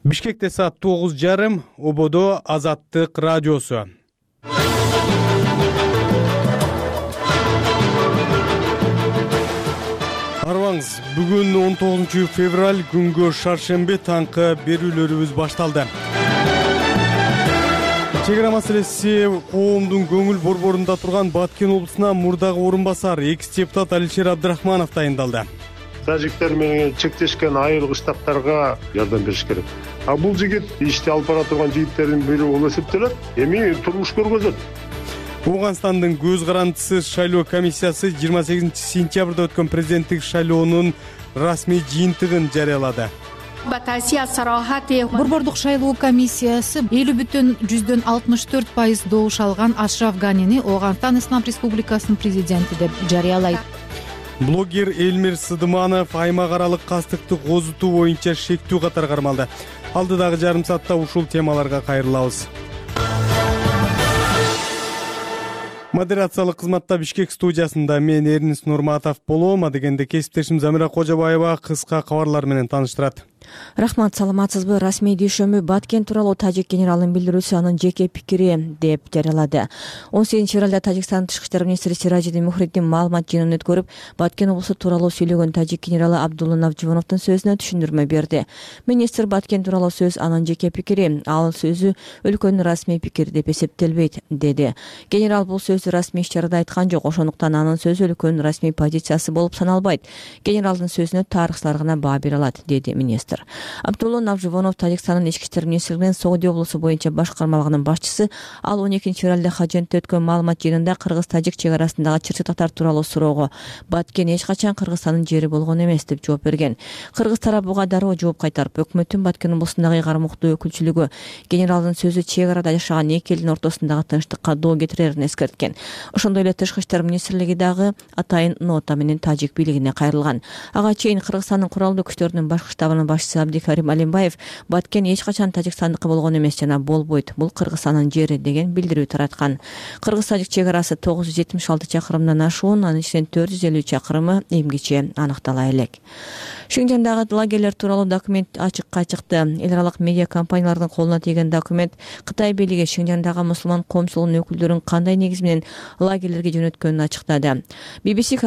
Бишкекте саат 9:30, Ободо Азаттык радиосу. Арбаңыз, бүгүн 19 февраль күнгө шаршемби таңкы берүүлөрүбүз башталды. Чек ара маселеси коомдун көңүл борборунда турган Баткен облусуна мурдагы орун басар экс-депутат Алишер Абдрахманов дайындалды. Тажиктер менен чектешкен айыл кыштактарга жардам бериш керек. А бул жигит ишти алып бара турган жигиттердин бири болуп эсептелет. Эми турмуш көргөзөт. Ооганстандын көз карандысыз шайлоо комиссиясы 28 сентябрда өткөн президенттик шайлоонун расмий жыйынтыгын жарыялады. Борбордук шайлоо комиссиясы 50,64% добуш алган Ашраф Ганини Ооганстан Ислам Республикасынын президенти деп жарыялайт. Блогер Элмир Сыдыманов аймак аралык кастыкты козутуу боюнча шектүү катары кармалды. Алдыдагы жарым саатта ушул темаларга кайрылабыз. Модерациялык кызматта Бишкек студиясында мен Эрнис Нурматов болом. Адегенде кесиптешим Замира Кожобаева кыска кабарлар менен тааныштырат. Рахмат, саламатсызбы? Расмий дүйшөмбү Баткен тууралуу тажик генералынын билдирүүсү анын жеке пикири деп жарыялады. 18 февралда Тажикстандын тышкы иштер министри Сиражиддин Мухриддин маалымат жыйынын өткөрүп, Баткен облусу тууралуу сүйлөгөн тажик генералы Абдулла Навживоновдун сөзүнө түшүндүрмө берди. Министр Баткен тууралуу сөз анын жеке пикири, ал сөзү өлкөнүн расмий пикири деп эсептелбейт, деди. Генерал бул сөздү расмий иш-чарада айткан жок, ошондуктан анын сөзү өлкөнүн расмий позициясы болуп саналбайт. Генералдын сөзүнө тарыхчылар гана баа бере алат, деди министр. Абдулла Навживонов Тажикстандын ички иштер министрлигинин Сооди облусу боюнча башкармалыгынын башчысы. Ал 12 февралда Хажентте өткөн маалымат жыйынында кыргыз-тажик чек арасындагы чыр-чатактар тууралуу суроого Баткен эч качан Кыргызстандын жери болгон эмес деп жооп берген. Кыргыз тарап буга дароо жооп кайтарып, өкмөттүн Баткен облусундагы ыйгарым-уктуу өкүлчүлүгү генералдын сөзү чек арада жашаган эки элдин ортосундагы тынчтыкка доо кетирерин эскерткен. Ошондой эле тышкы иштер министрлиги дагы атайын нота менен тажик бийлигине кайрылган. Ага чейин Кыргызстандын куралдуу күчтөрүнүн башкы штабынын башчысы Абдикарим Алимбаев Баткен эч качан Тажикстандыкы болгон эмес жана болбойт, бул Кыргызстандын жери деген билдирүү тараткан. Кыргыз-тажик чек арасы 976 чакырымдан ашуун, анын ичинен 450 чакырымы эмгиче аныктала элек. Шинжандагы лагерлер тууралуу документ ачыкка чыкты. Эл аралык медиа компаниялардын колуна тийген документ Кытай бийлиги Шинжандагы мусулман коомчулугунун өкүлдөрүн кандай негиз менен лагерлерге жөнөткөнүн ачыктады. BBC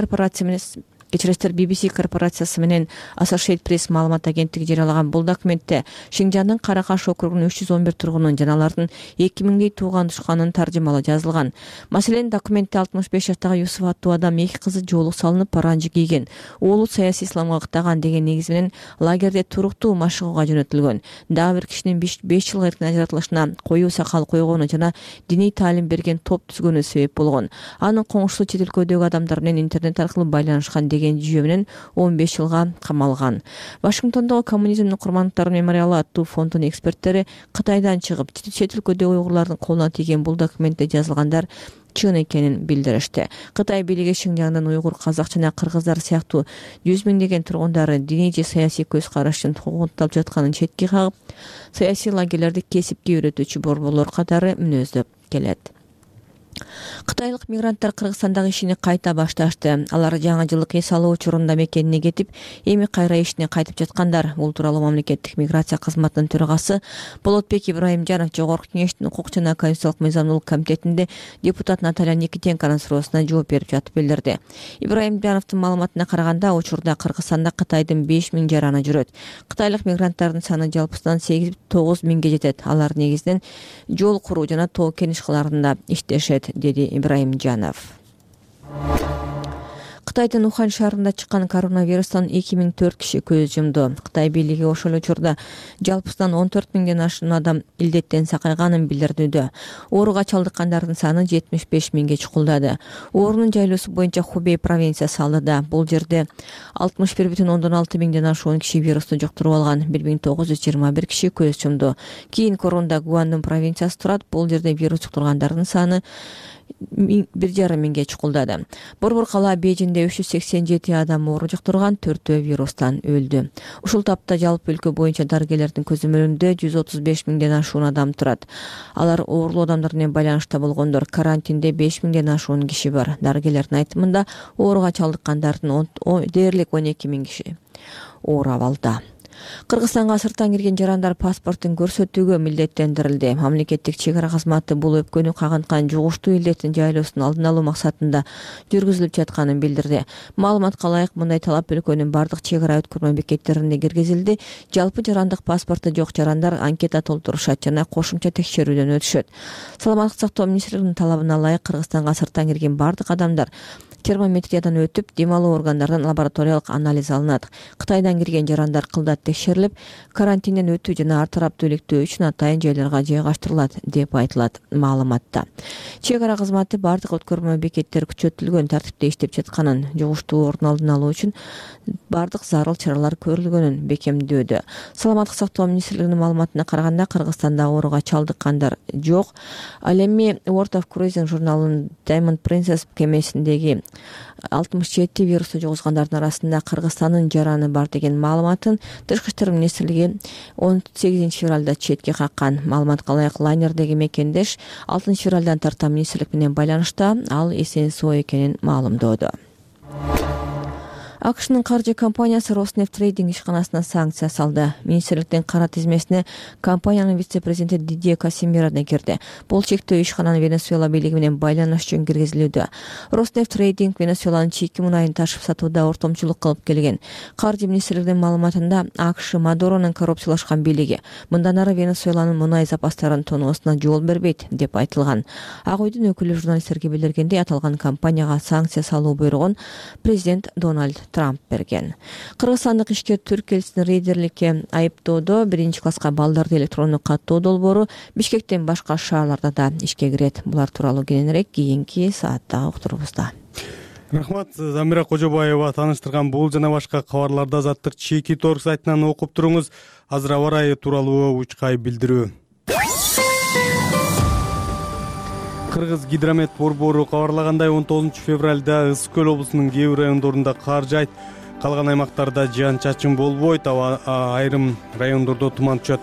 корпорациясы менен Associated Press маалымат агенттиги жарыялаган бул документте Шинжандын Каракаш округунун 311 тургунунун жана алардын 2000дей тууган-тушканын таржымалы жазылган. Маселен, документте 65 жаштагы Юсуф аттуу адам 2 кызы жоолук салынып паранжы кийген, уулу саясий исламга ыктаган деген негиз менен лагерде туруктуу машыгууга жөнөтүлгөн. Дагы бир кишинин 5 жылга эркин ажыратылышына, коюу сакал койгону жана диний таалим берген топ түзгөнү себеп болгон. Анын коңшусу чет өлкөдөгү адамдар менен интернет аркылуу байланышкан деген жүйө менен 15 жылга камалган. Вашингтондогу коммунизмдин курмандыктары мемориалы аттуу фондунун эксперттери Кытайдан чыгып, чет өлкөдөгү уйгурлардын колуна тийген бул документте жазылгандар чын экенин билдиришти. Кытай бийлиги Шинжаңдын уйгур, казак жана кыргыздар сыяктуу 100 миңдеген тургундары диний же саясий көз карашын куугунталып жатканын четке кагып, саясий лагерлерди кесипке үйрөтүүчү борборлор катары мүнөздөп келет. Кытайлык мигранттар Кыргызстандагы ишини кайта башташты. Алар жаңы жылдык эс алуу учурунда мекенине кетип, эми кайра ишине кайтып жаткандар. Бул тууралуу мамлекеттик миграция кызматынын төрагасы Болотбек Ибраимжанов Жогорку Кеңештин укук жана конституциялык мыйзамдуулук комитетинде депутат Наталья Никитенконун суроосуна жооп берип жатып билдирди. Ибраимжановдун маалыматына караганда, учурда Кыргызстанда Кытайдын 5000 жараны жүрөт. Кытайлык мигранттардын саны жалпысынан 8-9 миңге жетет. Алар негизинен жол куруу жана тоо кен ишкаларында иштешет, деди Ибраимжанов. Кытайдын Ухань шаарында чыккан коронавирустан 2004 киши көз жумду. Кытай бийлиги ошол учурда жалпысынан 14 миңден ашуун адам илдеттен сакайганын билдирүүдө. Ооруга чалдыккандардын саны 75 миңге чукулдады. Оорунун жайлоосу боюнча Хубей провинциясы алды. Бул жерде 61,6 миңден ашуун киши вирусту жуктуруп алган. 1921 киши көз жумду. Кийин Коронда Гуандун провинциясы турат. Бул жерде вирус жуктургандардын саны 1,5 миңге чукулдады. Борбор кала Бейжинде 387 адам оору жуктурган, 4 вирустан өлдү. Ушул тапта жалпы өлкө боюнча дарыгерлердин көзөмөлүндө 135 миңден ашуун адам турат. Алар оорулуу адамдар менен байланышта болгондор. Карантинде 5 миңден ашуун киши бар. Дарыгерлердин айтымында ооруга чалдыккандардын дээрлик 12 миң киши оор абалда. Кыргызстанга сырттан кирген жарандар паспортун көрсөтүүгө милдеттендирилди. Мамлекеттик чек ара кызматы бул өпкөнү кагынткан жугуштуу илдеттин жайлоосун алдын алуу максатында жүргүзүлүп жатканын билдирди. Маалыматка ылайык мындай талап өлкөнүн бардык чек ара өткөрмө бекеттерине киргизилди. Жалпы жарандык паспорту жок жарандар анкета толтурушат жана кошумча текшерүүдөн өтүшөт. Саламаттык сактоо министрлигинин талабына ылайык Кыргызстанга сырттан кирген бардык адамдар термометриядан өтүп, дем алуу органдарынан лабораториялык анализ алынат. Кытайдан кирген жарандар кылдат текшерилип, карантинден өтүү жана ар тараптуу иликтөө үчүн атайын жайларга жайгаштырылат деп айтылат маалыматта. Чек ара кызматы бардык өткөрмө бекеттер күчөтүлгөн тартипте иштеп жатканын, жугуштуу орун алдын алуу үчүн бардык зарыл чаралар көрүлгөнүн бекемдөөдө. Саламаттык сактоо министрлигинин маалыматына караганда, Кыргызстанда ооруга чалдыккандар жок. Ал эми World of Cruising журналынын Diamond Princess кемесиндеги 67 вирусту жугузгандардын арасында Кыргызстандын жараны бар деген маалыматын Тышкы иштер министрлиги 18 февралда четке каккан. Маалыматка ылайык лайнердеги мекендеш 6 февралдан тарта министрлик менен байланышта, ал эсен-соо экенин маалымдоодо. АКШнын каржы компаниясы Роснефть трейдинг ишканасына санкция салды. Министрликтин кара тизмесине компаниянын вице-президенти Дидье Касимира да кирди. Бул чектөө ишкананын Венесуэла бийлиги менен байланыш үчүн киргизилүүдө. Роснефть трейдинг Венесуэланын чийки мунайын ташып сатууда ортомчулук кылып келген. Каржы министрлигинин маалыматында АКШ Мадуронун коррупциялашкан бийлиги мындан ары Венесуэланын мунай запастарын тоноосуна жол бербейт деп айтылган. Ак үйдүн өкүлү журналисттерге билдиргендей, аталган компанияга санкция салуу буйругун президент Дональд Трамп берген. Кыргызстандык ишкер түрк элчисин рейдерликке айыптоодо 1-класска балдарды электрондук каттоо долбоору Бишкектен башка шаарларда да ишке кирет. Булар тууралуу кененирээк кийинки саатта уктурубузда. Рахмат, Замира Кожобаева тааныштырган бул жана башка кабарларды Азаттык чеки торг сайтынан окуп туруңуз. Азыр аба ырайы тууралуу учкай билдирүү. Кыргыз гидромет борбору кабарлагандай, 19 февралда Ысык көл облусунун кээ бир райондорунда кар жаайт, калган аймактарда жаан-чачын болбойт, айрым райондордо туман түшөт.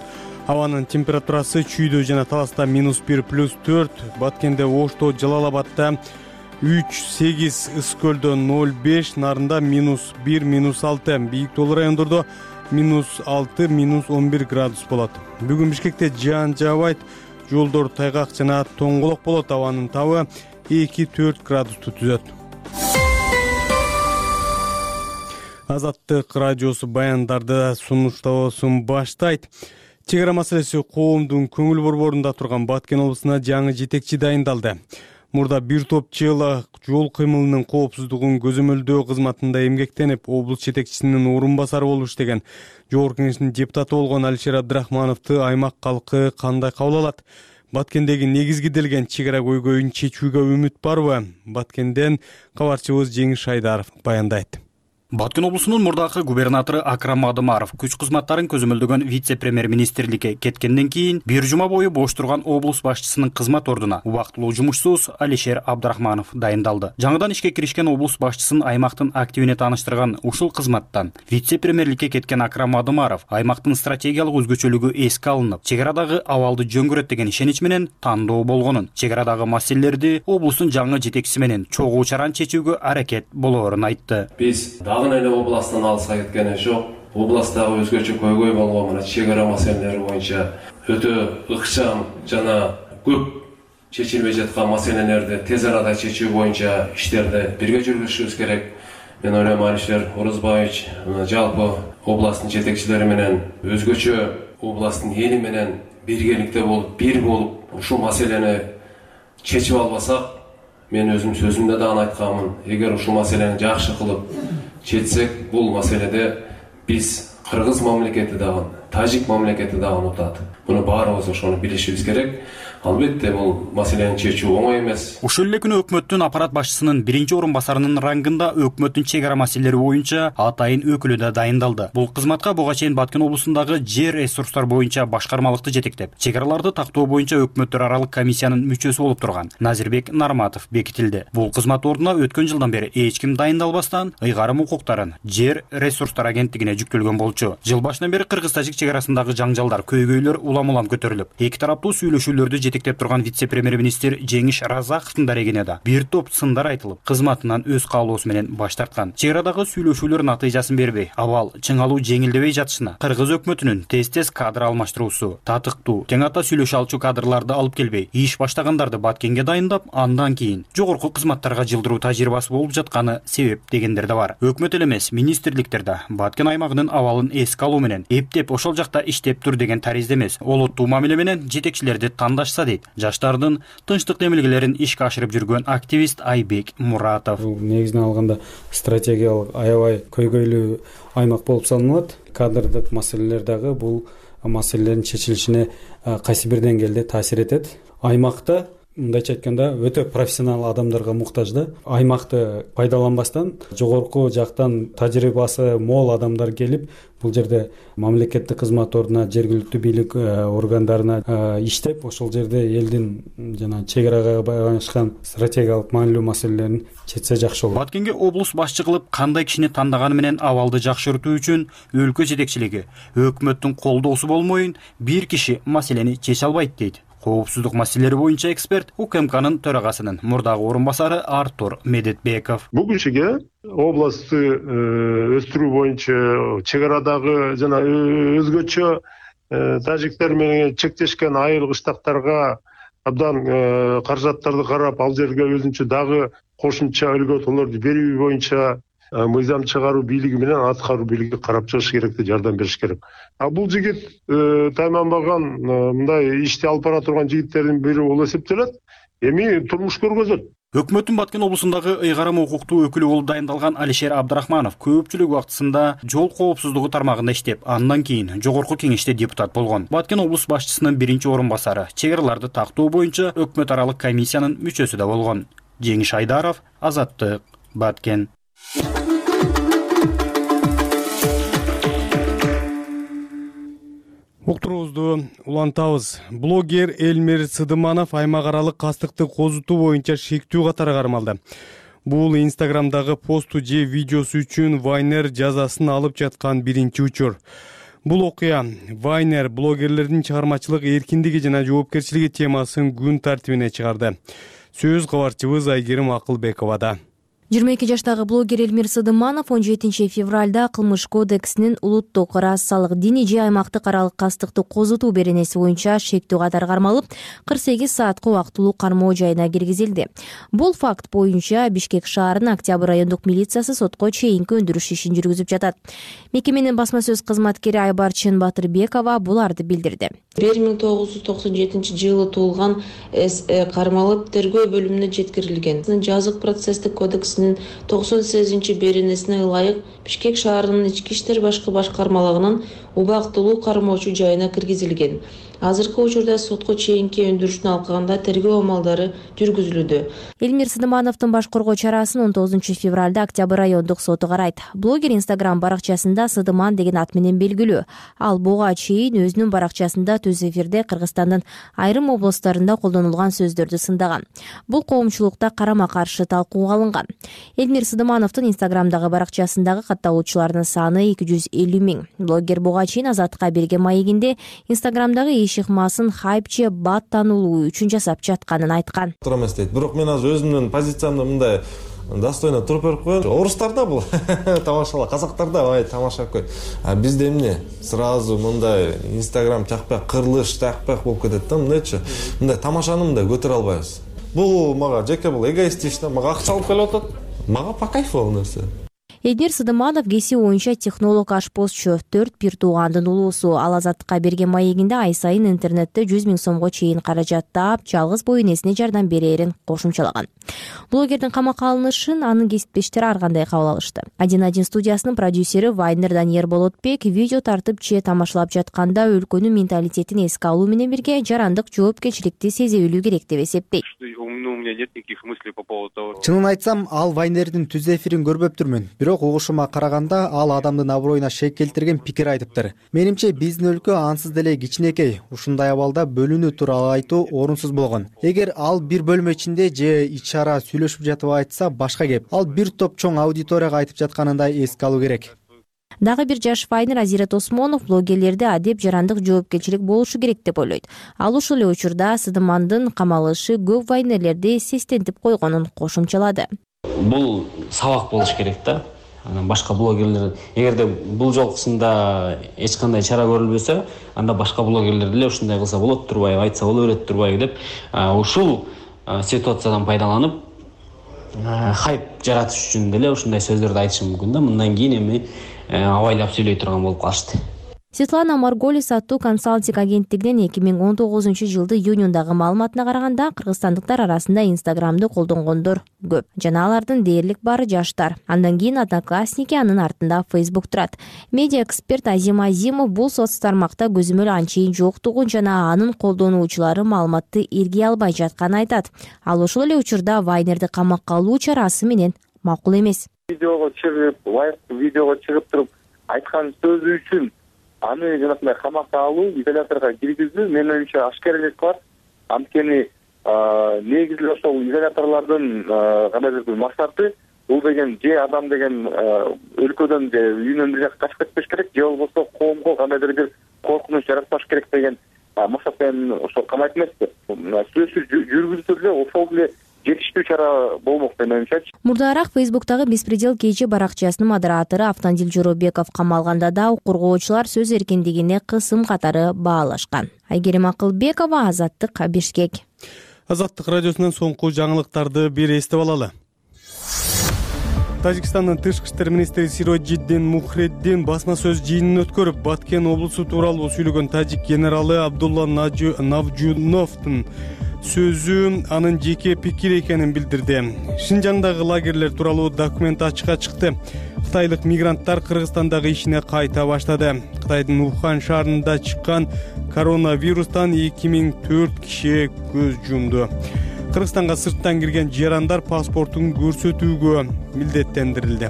Абанын температурасы Чүйдө жана Таласта -1 +4, Баткенде, Ошто, Жалал Абадда 3-8, Ысык көлдө 0-5, Нарында -1, -6, Бийик Тоолу райондордо -6, -11 градус болот. Бүгүн Бишкекте жаан жаабайт, жолдор тайгак жана тоңголок болот. Абанын табы 2-4 градусту түзөт. Азаттык радиосу баяндарды сунуштоосун баштайт. Чек ара маселеси коомдун көңүл борборунда турган Баткен облусуна жаңы жетекчи дайындалды. Мурда бир топ жыл жол кыймылынын коопсуздугун көзөмөлдөө кызматында эмгектенип, облус жетекчисинин орун басары болуп иштеген Жогорку Кеңештин депутаты болгон Алишер Абдрахмановду аймак калкы кандай кабыл алат? Баткендеги негизгиделген чек ара көйгөйүн чечүүгө үмүт барбы? Баткенден кабарчыбыз Жеңиш Айдаров баяндайт. Баткен облусунун мурдакы губернатору Акрам Адымаров күч кызматтарын көзөмөлдөгөн вице-премьер-министрликке кеткенден кийин бир жума бою бош турган облус башчысынын кызмат ордуна убактылуу жумушсуз Алишер Абдрахманов дайындалды. Жаңыдан ишке киришкен облус башчысын аймактын активине тааныштырган ушул кызматтан вице-премьерликке кеткен Акрам Адымаров аймактын стратегиялык өзгөчөлүгү эске алынып, чек арадагы абалды жөн көрөт деген ишенич менен тандоо болгонун, чек арадагы маселелерди облустун жаңы жетекчиси менен чогуу чаран чечүүгө аракет болоорун айтты. Биз дагы эле областтан алыска кеткен жок. Областтагы өзгөчө көйгөй болгон мына чек ара маселелери боюнча өтө ыкчам жана көп чечилбей жаткан маселелерди тез арада чечүү боюнча иштерди бирге жүргүзүшүбүз керек. Мен ойлойм, Алишер Орозбаевич жалпы областтын жетекчилери менен өзгөчө областтын эли менен биргеликте болуп, бир болуп ушул маселени чечип албасак, мен өзүм сөзүмдө дагы айтканмын, эгер ушул маселени жакшы кылып чечсек, бул маселеде биз кыргыз мамлекети дагы, тажик мамлекети дагы унутат. Муну баарыбыз ошону билишибиз керек. Албетте бул маселени чечүү оңой эмес. Ушул эле күнү өкмөттүн аппарат башчысынын биринчи орун басарынын рангында өкмөттүн чек ара маселелери боюнча атайын өкүлү да дайындалды. Бул кызматка буга чейин Баткен облусундагы жер ресурстар боюнча башкармалыкты жетектеп, чек араларды тактоо боюнча өкмөттөр аралык комиссиянын мүчөсү болуп турган Назирбек Нарматов бекитилди. Бул кызмат ордуна өткөн жылдан бери эч ким дайындалбастан ыйгарым укуктарын жер ресурстар агенттигине жүктөлгөн болчу. Жыл башынан бери кыргыз-тажик чек чек арасындагы жаңжалдар, көйгөйлөр улам көтөрүлүп, эки тараптуу сүйлөшүүлөрдү жетектеп турган вице-премьер-министр Жеңиш Разаковдун дарегине бир топ сындар айтылып, кызматынан өз каалоосу менен баш тарткан. Чек арадагы сүйлөшүүлөр натыйжасын бербей, абал чыңалуу жеңилдебей жатышына кыргыз өкмөтүнүн тез кадр алмаштыруусу, татыктуу, тең ата сүйлөшө алчу кадрларды алып келбей, иш баштагандарды Баткенге дайындап, андан кийин жогорку кызматтарга жылдыруу тажрыйбасы болуп жатканы себеп дегендер да бар. Өкмөт эле эмес, министрликтерде Баткен аймагынын абалын эске алуу менен эптеп ошол жакта иштеп тур деген таризде эмес, олуттуу мамиле менен жетекчилерди тандашса дейт жаштардын тынчтык демилгелерин ишке ашырып жүргөн активист Айбек Муратов. Негизинен алганда стратегиялык аябай көйгөйлүү аймак болуп саналат. Кадрдык маселелер дагы бул маселелердин чечилишине кайсы бир деңгээлде таасир этет. Аймакта мындайча айтканда өтө профессионал адамдарга муктаж да. Аймакты пайдаланбастан жогорку жактан тажрыйбасы мол адамдар келип, бул жерде мамлекеттик кызмат ордуна, жергиликтүү бийлик органдарына иштеп, ошол жерде элдин жана чек арага байланышкан стратегиялык маанилүү маселелерин чечсе жакшы болот. Баткенге облус башчы кылып кандай кишини тандаганы менен абалды жакшыртуу үчүн өлкө жетекчилиги өкмөттүн колдоосу болмоюн бир киши маселени чече албайт дейт. Коопсуздук маселелери боюнча эксперт УКМКнын төрагасынын мурдагы орун басары Артур Медетбеков. Бул кишиге областты өстүрүү боюнча чек арадагы жана өзгөчө тажиктер менен чектешкен айыл кыштактарга абдан каражаттарды карап, ал жерге өзүнчө дагы кошумча өлгөтөлөрдү берүү боюнча мыйзам чыгаруу бийлиги менен аткаруу бийлиги карап чыгыш керек, жардам бериш керек. Бул жигит тайманбаган мындай ишти алып бара турган жигиттердин бири болуп эсептелет. Эми турмуш көргөзөт. Өкмөттүн Баткен облусундагы ыйгарым укуктуу өкүлү болуп дайындалган Алишер Абдрахманов көпчүлүк убактысында жол коопсуздугу тармагында иштеп, андан кийин жогорку кеңеште депутат болгон. Баткен облус башчысынын биринчи орун басары, чек араларды тактоо боюнча өкмөт аралык комиссиянын мүчөсү да болгон. Жеңиш Айдаров, Азаттык, Баткен. Уктуруубузду улантабыз. Блогер Элмир Сыдыманов аймак аралык кастыкты козутуу боюнча шектүү катары кармалды. Бул Инстаграмдагы посту же видеосу үчүн Вайнер жазасын алып жаткан биринчи учур. Бул окуя Вайнер блогерлердин чыгармачылык эркиндиги жана жоопкерчилиги темасын күн тартибине чыгарды. Сөз кабарчыбыз Айгерим Акылбековада. 22 жаштагы блогер Элмир Сыдыманов 17 февралда Кылмыш кодексинин улуттук, расалык, диний же аймактык аралык кастыкты козутуу беренеси боюнча шектүү катары кармалып, 48 саатка убактылуу кармоо жайына киргизилди. Бул факт боюнча Бишкек шаарынын Октябрь райондук милициясы сотко чейинки өндүрүш ишин жүргүзүп жатат. Мекеменин басма сөз кызматкери Айбарчын Батырбекова буларды билдирди. 1997 туулган кармалып тергөө бөлүмүнө жеткирилген. Жазык процесстик кодекс 98 беренесине ылайык Бишкек шаарынын ички иштер башкармалыгынын убактылуу кармоочу жайына киргизилген. Азыркы учурда сотко чейинки өндүрүштүн алкагында тергөө амалдары жүргүзүлүүдө. Элмир Сыдымановдун баш коргоо чарасын 19 февралда Октябрь райондук соту карайт. Блогер Инстаграм баракчасында Сыдыман деген ат менен белгилүү. Ал буга чейин өзүнүн баракчасында түз эфирде Кыргызстандын айрым областарында колдонулган сөздөрдү сындаган. Бул коомчулукта карама каршы талкууга алынган. Элмир Сыдымановдун Инстаграмдагы баракчасындагы катталуучулардын саны 250 000. Блогер буга чейин Азаттыкка берген маегинде Инстаграмдагы ишыкмасын хайп же бат таануулуу үчүн жасап жатканын айткан. Бирок мен азыр өзүмдүн позициямды мындай достойно туруп берип коеюн. Орустарда бул тамашала, казактарда бай тамашалап кой. А бизде эмне? Сразу мындай Инстаграм чакпак, кырылыш чакпак болуп кетет да, мындайчы. Мындай тамашаны мындай көтөрө албайбыз. Бул мага жеке бул эгоистично, мага акча алып келип атат. Мага по кайфу бул нерсе. Элмир Сыдыманов кесип боюнча технолог, ашпозчу, 4 туугандын улуусу. Ал Азаттыкка берген маегинде ай сайын интернетте 100 000 сомго чейин каражат таап, жалгыз боо энесине жардам берерин кошумчалаган. Блогердин камакка алынышын анын кесиптештери ар кандай кабыл алышты. 1-1 студиясынын продюсери Вайнер Даниер Болотбек видео тартып же тамашалап жатканда өлкөнүн менталитетин эске алуу менен бирге жарандык жоопкерчиликти сезе билүү керек деп эсептейт. Чынын айтсам, ал Вайнердин түз эфирин көрбөптүрмүн. Бирок угушума караганда ал адамдын аброюна шек келтирген пикир айтыптыр. Менимче биздин өлкө ансыз деле кичинекей. Ушундай абалда бөлүнүү тууралуу айтуу орунсуз болгон. Эгер ал бир бөлмө ичинде же ич ара сүйлөшүп жатып айтса башка кеп. Ал бир топ чоң аудиторияга айтып жатканында эске алуу керек. Дагы бир жаш вайнер Азирет Осмонов блогерлерде адеп жарандык жоопкерчилик болушу керек деп ойлойт. Ал ушул эле учурда Сыдымандын камалышы көп вайнерлерди сестентип койгонун кошумчалады. Бул сабак болуш керек да. Башка блогерлер эгерде бул жолкусунда эч кандай чара көрүлбөсө, анда башка блогерлер деле ушундай кылса болот турбайбы, айтса боло берет турбайбы деп ушул ситуациядан пайдаланып хайп жаратыш үчүн деле ушундай сөздөрдү айтышы мүмкүн да. Мындан кийин эми абайлап сүйлөй турган болуп калышты. Светлана Марголис аттуу консалтинг агенттигинин 2019-жылды июнундагы маалыматына караганда кыргызстандыктар арасында Инстаграмды колдонгондор көп жана алардын дээрлик баары жаштар. Андан кийин Одноклассники, анын артында Facebook турат. Медиа эксперт Азим Азимов бул соц тармакта көзөмөл анчейин жоктугун жана анын колдонуучулары маалыматты иргей албай жатканын айтат. Ал ошол эле учурда вайнерди камакка алуу чарасы менен макул эмес. Видеого чыгып туруп айткан сөзү үчүн аны жанагындай камакка алуу, изоляторго киргизүү менин оюмча ашкерелик бар. Анткени негизи ошол изоляторлордун кандайдыр бир максаты бул деген же адам деген өлкөдөн же үйүнөн бир жакка качып кетпеш керек, же болбосо коомго кандайдыр бир коркунуч жаратпаш керек деген максат менен ошол камайт эмеспи. Сөзсүз жүргүзүлсө деле ошол эле жетиштүү чара болмок деп ойлоймчу. Мурдараак Фейсбуктагы Беспредел кечи баракчасынын модератору Автандил Жоробеков камалганда да коргоочулар сөз эркиндигине кысым катары баалашкан. Айгерим Акылбекова, Азаттык, Бишкек. Азаттык радиосунан соңку жаңылыктарды бир эстеп алалы. Тажикстандын тышкы иштер министри Сироджиддин Мухреддин басма сөз жыйынын өткөрүп, Баткен облусу тууралуу сүйлөгөн тажик генералы Абдулла Навжуновдун сөзү анын жеке пикири экенин билдирди. Шинжаңдагы лагерлер тууралуу документ ачыкка чыкты. Кытайлык мигранттар Кыргызстандагы ишине кайта баштады. Кытайдын Ухань шаарында чыккан коронавирустан 2004 киши көз жумду. Кыргызстанга сырттан кирген жарандар паспортун көрсөтүүгө милдеттендирилди.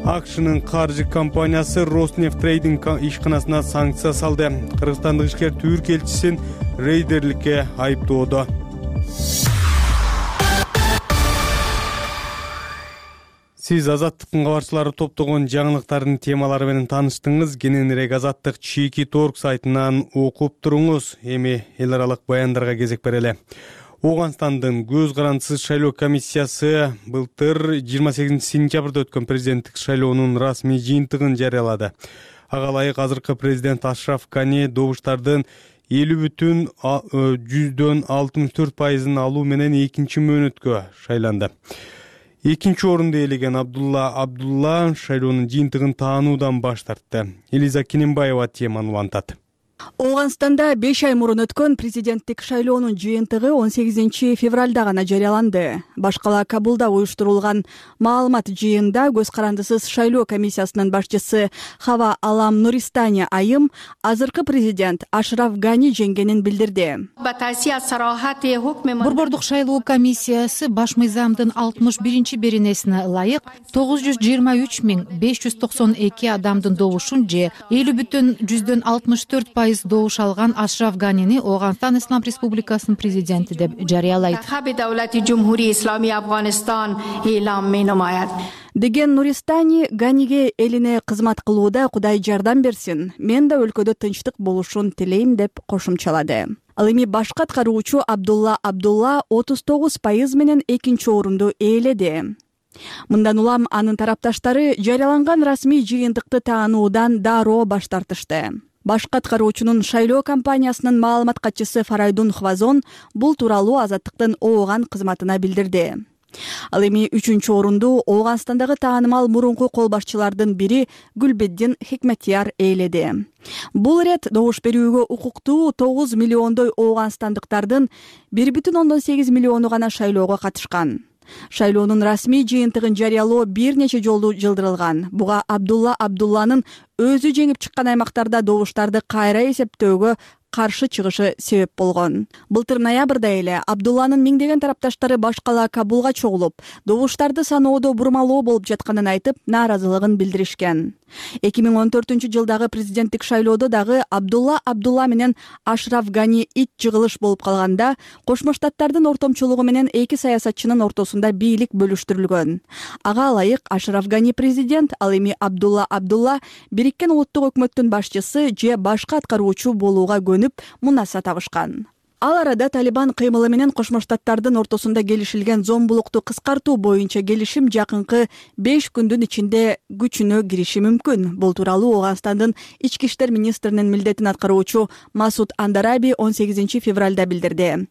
АКШнын каржы компаниясы Роснефть трейдинг ишканасына санкция салды. Кыргызстандык ишкер Түрк элчисин рейдерликке айыптоодо. Сиз Азаттыктын кабарчылары топтогон жаңылыктардын темалары менен тааныштыңыз. Кененирээк Азаттык Чики.org сайтынан окуп туруңуз. Эми эл аралык баяндарга кезек берели. Оганстандын көз карандысыз шайлоо комиссиясы былтыр 28 сентябрда өткөн президенттик шайлоонун расмий жыйынтыгын жарыялады. Ага ылайык азыркы президент Ашраф Гани добуштардын 50,64% алуу менен экинчи мөөнөткө шайланды. Экинчи орунду ээлеген Абдулла шайлоонун жыйынтыгын таануудан баш тартты. Элиза Кененбаева теманы улантат. Оганстанда 5 ай мурун өткөн президенттик шайлоонун жыйынтыгы 18 февралда гана жарыяланды. Башкала Кабулда уюштурулган маалымат жыйында көз карандысыз шайлоо комиссиясынын башчысы Хава Алам Нуристани айым азыркы президент Ашраф Гани жеңгенин билдирди. Борбордук шайлоо комиссиясы баш мыйзамдын 61 беренесине ылайык 923,592 адамдын добушун же 50,64% добуш алган Ашраф Ганини Оганстан Ислам Республикасынын президенти деп жарыялайт. Деген Нуристани Ганиге элине кызмат кылууда Кудай жардам берсин, мен да өлкөдө тынчтык болушун тилейм деп кошумчалады. Ал эми башкы аткаруучу Абдулла 39% менен экинчи орунду ээледи. Мындан улам анын тарапташтары жарыяланган расмий жыйынтыкты таануудан дароо баш тартышты. Башкы аткаруучунун шайлоо компаниясынын маалымат катчысы Фарайдун Хвазон бул тууралуу Азаттыктын Ооган кызматына билдирди. Ал эми 3-чү орунду Оганстандагы таанымал мурунку кол башчылардын бири Гүлбеддин Хикметияр ээледи. Бул ирет добуш берүүгө укуктуу 9 миллиондой оганстандыктардын 1,8 миллиону гана шайлоого катышкан. Шайлоонун расмий жыйынтыгын жарыялоо бир нече жолу жылдырылган. Буга Абдулланын өзү жеңип чыккан аймактарда добуштарды кайра эсептөөгө каршы чыгышы себеп болгон. Былтыр ноябрда эле Абдулланын миңдеген тарапташтары баш кала Кабулга чогулуп, добуштарды саноодо бурмалоо болуп жатканын айтып, нааразылыгын билдиришкен. 2014-жылдагы президенттик шайлоодо дагы Абдулла менен Ашраф Гани ит жыгылыш болуп калганда, Кошмо Штаттардын ортомчулугу менен эки саясатчынын ортосунда бийлик бөлүштүрүлгөн. Ага ылайык Ашраф Гани президент, ал эми Абдулла Бириккен Улуттук өкмөттүн башчысы же башка аткаруучу болууга көнүп, мунаса табышкан. Ал арада Талибан кыймылы менен Кошмо Штаттардын ортосунда келишилген зомбулукту кыскартуу боюнча келишим жакынкы 5 күндүн ичинде күчүнө кириши мүмкүн. Бул тууралуу Ооганстандын ички иштер министринин милдетин аткаруучу Масуд Андараби 18 февралда билдирди.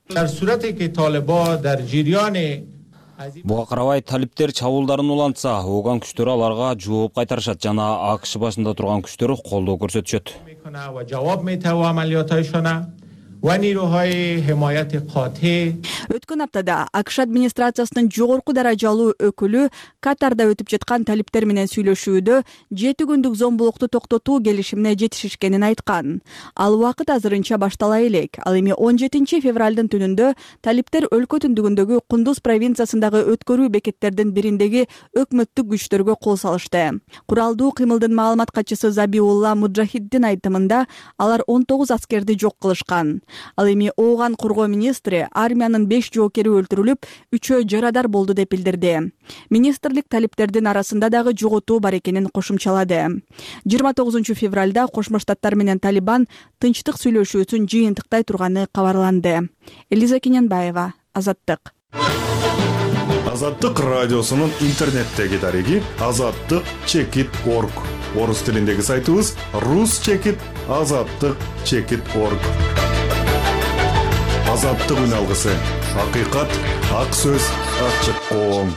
Буга карабай талиптер чабуулдарын улантса, Ооган күчтөрү аларга жооп кайтарышат жана АКШ башында турган күчтөр колдоо көрсөтүшөт. Өткөн аптада АКШ администрациясынын жогорку даражалуу өкүлү Катарда өтүп жаткан талиптер менен сүйлөшүүдө 7 күндүк зомбулукту токтотуу келишимине жетишишкенин айткан. Ал убакыт азырынча баштала элек. Ал эми 17 февралдын түнүндө талиптер өлкө түндүгүндөгү Кундуз провинциясындагы өткөрүү бекеттердин бириндеги өкмөттүк күчтөргө кол салышты. Куралдуу кыймылдын маалымат катчысы Забиулла Муджахиддин айтымында алар 19 аскерди жок кылышкан. Ал эми Ооган коргоо министри армиянын 5 жоокери өлтүрүлүп, 3-өө жарадар болду деп билдирди. Министрлик талиптердин арасында дагы жоготуу бар экенин кошумчалады. 29 февралда Кошмо Штаттар менен Талибан тынчтык сүйлөшүүсүн жыйынтыктай турганы кабарланды. Элиза Кененбаева, Азаттык. Азаттык радиосунун интернеттеги дареги azattik.org. Орус тилиндеги сайтыбыз rus.azattik.org. Азаттык үн алгысы. Акыйкат, ак сөз, ачык коом.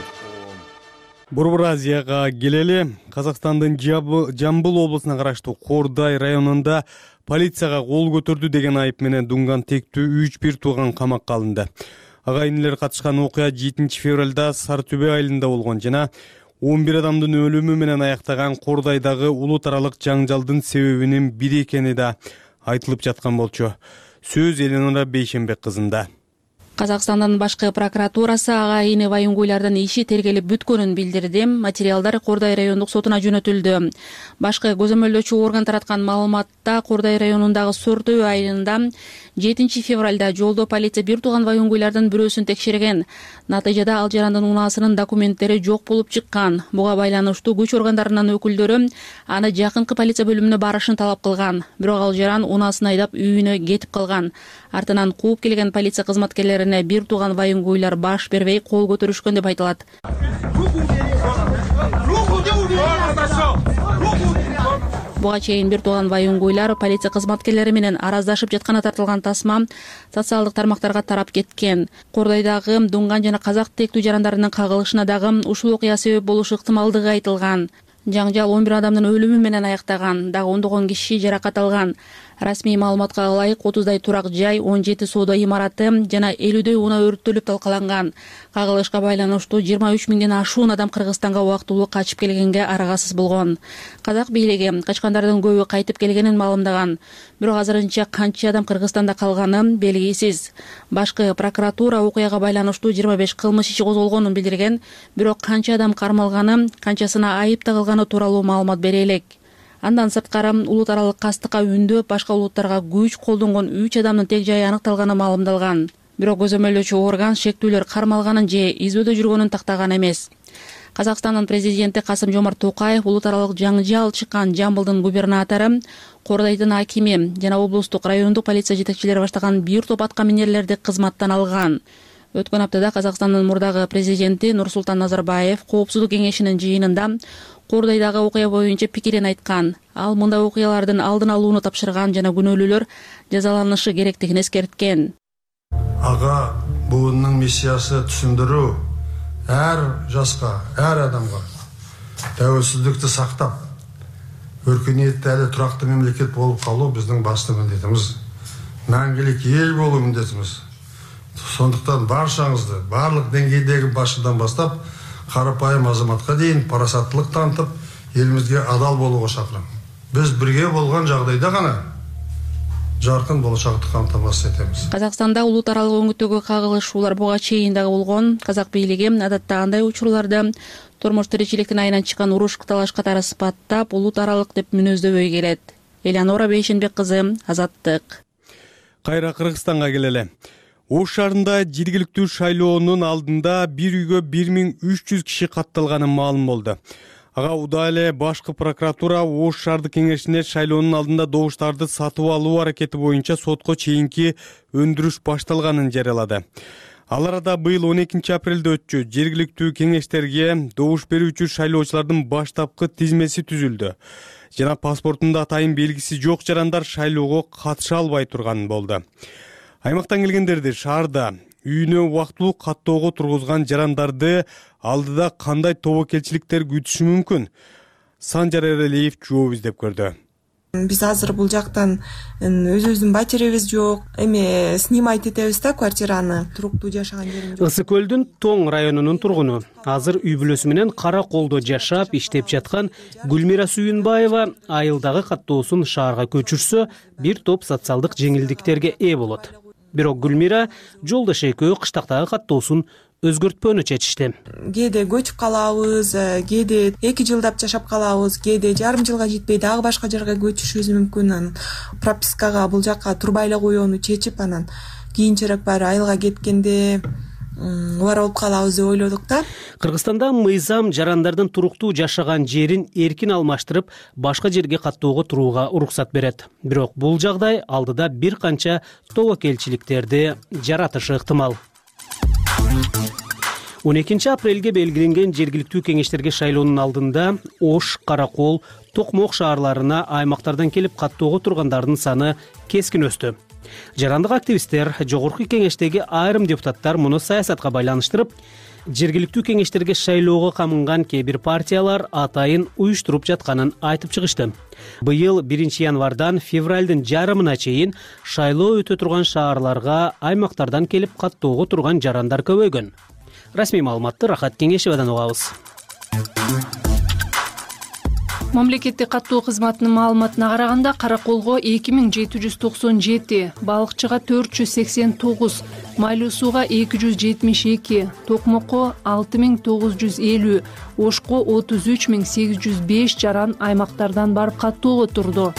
Борбор Азияга келели. Казакстандын Жамбыл облусуна караштуу Кордай районунда полицияга кол көтөрдү деген айып менен Дунган тектүү 3 тууган камакка алынды. Агайынылар катышкан окуя 7 февралда Сары Түбө айылында болгон жана 11 адамдын өлүмү менен аяктаган Кордайдагы улут аралык жаңжалдын себебинин бири экени да айтылып жаткан болчу. Сөз Эленора Бейшенбек кызында. Казакстандын башкы прокуратурасы агайыны Вайунгуйлардын иши тергелип бүткөнүн билдирди. Материалдар Кордай райондук сотуна жөнөтүлдү. Башкы көзөмөлдөөчү орган тараткан маалыматта Кордай районундагы Сортөбө айылында 7 февралда жолдо полиция бир тууган Вайунгуйлардын бирөөсүн текшерген. Натыйжада ал жарандын унаасынын документтери жок болуп чыккан. Буга байланыштуу күч органдарынын өкүлдөрү аны жакынкы полиция бөлүмүнө барышын талап кылган. Бирок ал жаран унаасын айдап үйүнө кетип калган. Артынан кууп келген полиция кызматкерлерине бир тууган Вайунгуйлар баш бербей кол көтөрүшкөн деп айтылат. Буга чейин бир тууган Вайунгуйлар полиция кызматкерлери менен араздашып жатканы тартылган тасма социалдык тармактарга тарап кеткен. Кордайдагы Дунган жана Казак тектүү жарандарынын кагылышына дагы ушул окуя себеп болушу ыктымалдыгы айтылган. Жаңжал 11 адамдын өлүмү менен аяктаган, дагы 10 киши жаракат алган. Расмий маалыматка ылайык 30дай турак жай, 17 соода имараты жана 50дөй унаа өрттөлүп талкаланган. Кагылышка байланыштуу 23 миңден ашуун адам Кыргызстанга убактылуу качып келгенге арагасыз болгон. Казак бийлиги качкандардын көбү кайтып келгенин маалымдаган. Бирок азырынча канча адам Кыргызстанда калганы белгисиз. Башкы прокуратура окуяга байланыштуу 25 кылмыш иши козголгонун билдирген, бирок канча адам кармалганы, канчасына айып тагылганы тууралуу маалымат бере элек. Андан сырткары улут аралык кастыкка үндөп башка улуттарга күч колдонгон 3 адамдын тег жайы аныкталганы маалымдалган. Бирок көзөмөлдөөчү орган шектүүлөр кармалганын же избөөдө жүргөнүн тактаган эмес. Казакстандын президенти Касым-Жомарт Токаев улут аралык жаңжал чыккан Жамбылдын губернатору, Кордайдын акими жана облустук райондук полиция жетекчилери баштаган бир топ атка минерлерди кызматтан алган. Өткөн аптада Казакстандын мурдагы президенти Нурсултан Назарбаев Коопсуздук кеңешинин жыйынында Кордайдагы окуя боюнча пикирин айткан. Ал мындай окуялардын алдын алууну тапшырган жана күнөөлүүлөр жазаланышы керектигин эскерткен. Ага буунун миссиясы түшүндүрүү ар жашка, ар адамга тәуелсиздикти сактап, өркүнөттүү эле турактуу мамлекет болуп калуу биздин башкы милдетибиз. Мәңгилик эл болуу милдетибиз. Сондуктан баршаңызды барлык деңгейдеги башыдан баштап карапайым азаматка дейин парасаттылык танытып, элибизге адал болууга чакырам. Биз бирге болгон жагдайда гана жаркын болочакты камтамасыз этебиз. Казакстанда улут аралык өңүттөгү кагылышуулар буга чейин дагы болгон. Казак бийлиги адатта андай учурларды турмуш тиричиликтин айынан чыккан уруш талаш катары сыпаттап, улут аралык деп мүнөздөбөй келет. Элеонора Бейшенбек кызы, Азаттык. Кайра Кыргызстанга келели. Ош шаарында жергиликтүү шайлоонун алдында бир үйгө 1300 киши катталганы маалым болду. Ага удаа эле башкы прокуратура Ош шаардык кеңешине шайлоонун алдында добуштарды сатып алуу аракети боюнча сотко чейинки өндүрүш башталганын жарыялады. Ал арада быйыл 12 апрелде өтчү жергиликтүү кеңештерге добуш берүүчү шайлоочулардын баштапкы тизмеси түзүлдү. Жана паспортунда атайын белгиси жок жарандар шайлоого катыша албай турган болду. Аймактан келгендерди шаарда үйүнө убактылуу каттоого тургузган жарандарды алдыда кандай тобокелчиликтер күтүшү мүмкүн? Санжар Эрелиев жооп издеп көрдү. Биз азыр бул жактан өзүбүздүн батиребиз жок, эми снимать этебиз да квартираны, туруктуу жашаган жерибиз. Ысык көлдүн Тоң районунун тургуну, азыр үй бүлөсү менен Кара Колдо жашап, иштеп жаткан Гүлмира Сүйүнбаева айылдагы каттоосун шаарга көчүрсө, бир топ социалдык жеңилдиктерге ээ болот. Бирок Гүлмира жолдош экөө кыштактагы каттоосун өзгөртпөөнү чечишти. Кээде көчүп калабыз, кээде 2 жылдап жашап калабыз, кээде жарым жылга жетпей дагы башка жерге көчүшүбүз мүмкүн. Пропискага бул жакка турбай эле коюуну чечип, анан кийинчерээк баары айылга кеткенде убара болуп калабыз деп ойлодук да. Кыргызстанда мыйзам жарандардын туруктуу жашаган жерин эркин алмаштырып, башка жерге каттоого турууга уруксат берет. Бирок бул жагдай алдыда бир канча тобокелчиликтерди жаратышы ыктымал. 12 апрелге белгиленген жергиликтүү кеңештерге шайлоонун алдында Ош, Каракол, Токмок шаарларына аймактардан келип каттоого тургандардын саны кескин өстү. Жарандык активисттер, жогорку кеңештеги айрым депутаттар муну саясатка байланыштырып, жергиликтүү кеңештерге шайлоого камынган кээ бир партиялар атайын уюштуруп жатканын айтып чыгышты. Быйыл 1 январдан февралдын жарымына чейин шайлоо өтө турган шаарларга аймактардан келип каттоого турган жарандар көбөйгөн. Расмий маалыматты Рахат Кеңешевадан угабыз. Мамлекеттик каттоо кызматынын маалыматына караганда Караколго 2797, балыкчыга 489, майлуу сууга 272, Токмокко 6950, Ошко 33805 жаран аймактардан барып каттоого турду.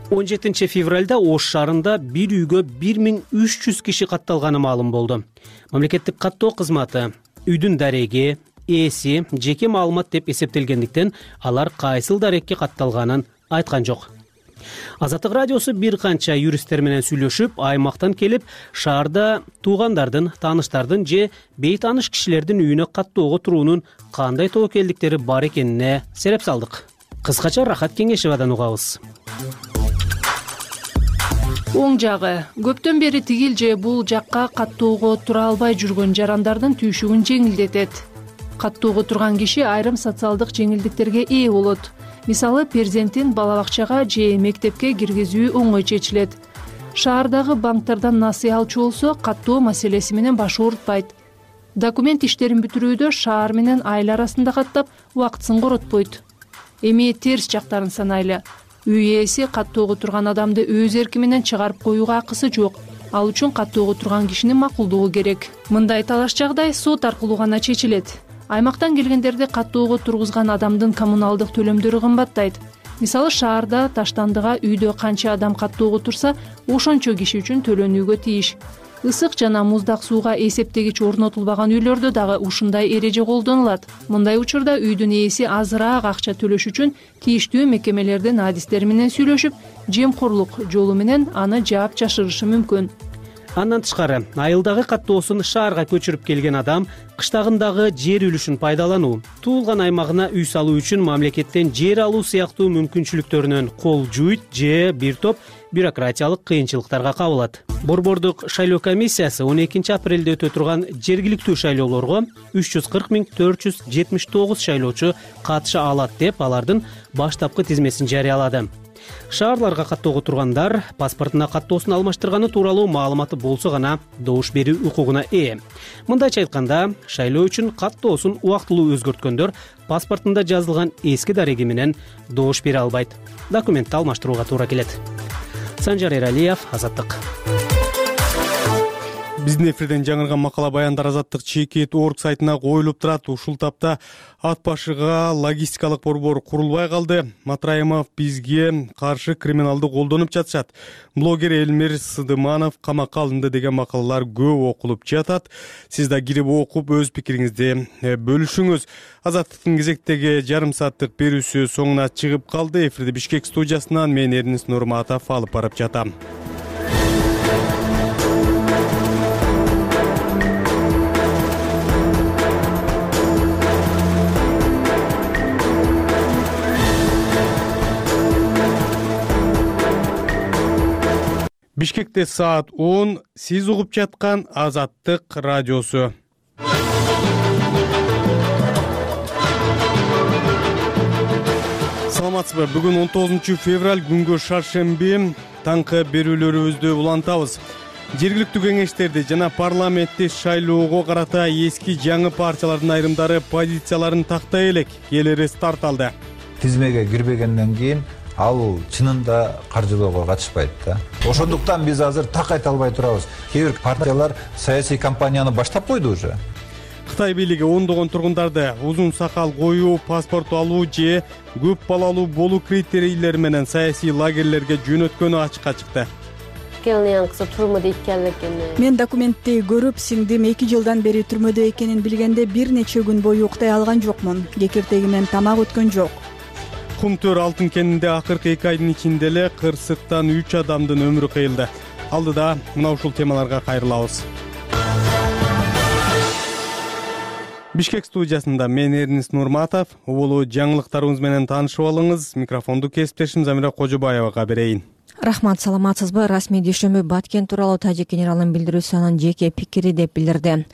17 февралда Ош шаарында бир үйгө 1300 киши катталганы маалым болду. Мамлекеттик каттоо кызматы үйдүн дареги, ээси жеке маалымат деп эсептелгендиктен алар кайсыл дарекке катталганын айткан жок. Азаттык радиосу бир канча юристтер менен сүйлөшүп, аймактан келип шаарда туугандардын, тааныштардын же бейтааныш кишилердин үйүнө каттоого туруунун кандай тобокелдиктери бар экенине сереп салдык. Кыскача Рахат Кеңешевадан угабыз. Оң жагы көптөн бери тигил же бул жакка каттоого тура албай жүргөн жарандардын түйшүгүн жеңилдетет. Каттоого турган киши айрым социалдык жеңилдиктерге ээ болот. Мисалы, перзентин бала бакчага же мектепке киргизүү оңой чечилет. Шаардагы банктардан насыя алчу болсо, каттоо маселеси менен баш оорутпайт. Документ иштерин бүтүрүүдө шаар менен айыл арасында каттап, убактысын коротпойт. Эми терс жактарын санайлы. Үй ээси каттоого турган адамды өз эрки менен чыгарып коюуга акысы жок. Ал үчүн каттоого турган кишинин макулдугу керек. Мындай талаш жагдай сот аркылуу гана чечилет. Аймактан келгендерди каттоого тургузган адамдын коммуналдык төлөмдөрү кымбаттайт. Мисалы, шаарда таштандыга үйдө канча адам каттоого турса, ошончо киши үчүн төлөнүүгө тийиш. Ысык жана муздак сууга эсептегич орнотулбаган үйлөрдө дагы ушундай эреже колдонулат. Мындай учурда үйдүн ээси азыраак акча төлөш үчүн тийиштүү мекемелердин адистери менен сүйлөшүп, жемкорлук жолу менен аны жаап жашырышы мүмкүн. Андан тышкары, айылдагы каттоосун шаарга көчүрүп келген адам кыштагындагы жер үлүшүн пайдалануу, туулган аймагына үй салуу үчүн мамлекеттен жер алуу сыяктуу мүмкүнчүлүктөрүнөн кол жуйт же бир топ бюрократиялык кыйынчылыктарга кабылат. Борбордук шайлоо комиссиясы 12 апрелде өтө турган жергиликтүү шайлоолорго 340 479 шайлоочу катыша алат деп алардын баштапкы тизмесин жарыялады. Шаарларга каттоого тургандар паспортуна каттоосун алмаштырганы тууралуу маалыматы болсо гана добуш берүү укугуна ээ. Мындайча айтканда, шайлоо үчүн каттоосун убактылуу өзгөрткөндөр паспортунда жазылган эски дареги менен добуш бере албайт. Документти алмаштырууга туура келет. Санжар Эралиев, Азаттык. Биздин эфирден жаңырган макала баяндар Азаттык.org сайтына коюлуп турат. Ушул тапта ат башыга логистикалык борбор курулбай калды. Матраимов бизге каршы криминалды колдонуп жатышат. Блогер Элмир Сыдыманов камакка алынды деген макалалар көп окулуп жатат. Сиз да кирип окуп өз пикириңизди бөлүшүңүз. Азаттыктын кезектеги жарым сааттык берүүсү соңуна чыгып калды. Эфирди Бишкек студиясынан мен Эрнис Нурматов алып барып жатам. Бишкекте саат 10, сиз угуп жаткан Азаттык радиосу. Саламатсызбы? Бүгүн 19 февраль күнгө шаршемби таңкы берүүлөрүбүздү улантабыз. Жергиликтүү кеңештерди жана парламентти шайлоого карата эски жаңы партиялардын айрымдары позицияларын тактай элек. Келери старт алды. Тизмеге кирбегенден кийин ал чынында каржылоого катышпайт да. Ошондуктан биз азыр так айта албай турабыз. Кээ бир партиялар саясий кампанияны баштап койду уже. Кытай бийлиги ондогон тургундарды узун сакал коюу, паспорт алуу же көп балалуу болуу критерийлери менен саясий лагерлерге жөнөткөнү ачыкка чыкты. Мен документти көрүп, сиңдим 2 жылдан бери түрмөдө экенин билгенде бир нече күн бою уктай алган жокмун. Кекиртегимен тамак өткөн жок. Кумтөр алтын кенинде акыркы 2 айдын ичинде эле кырсыктан 3 адамдын өмүрү кыйылды. Алдыда мына ушул темаларга кайрылабыз. Бишкек студиясында мен Эрнис Нурматов. Улуу жаңылыктарыбыз менен таанышып алыңыз. Микрофонду кесиптешим Замира Кожобаевага берейин. Рахмат, саламатсызбы? Расмий дүйшөмбү Баткен тууралуу тажик генералынын билдирүүсү анын жеке пикири деп билдирди.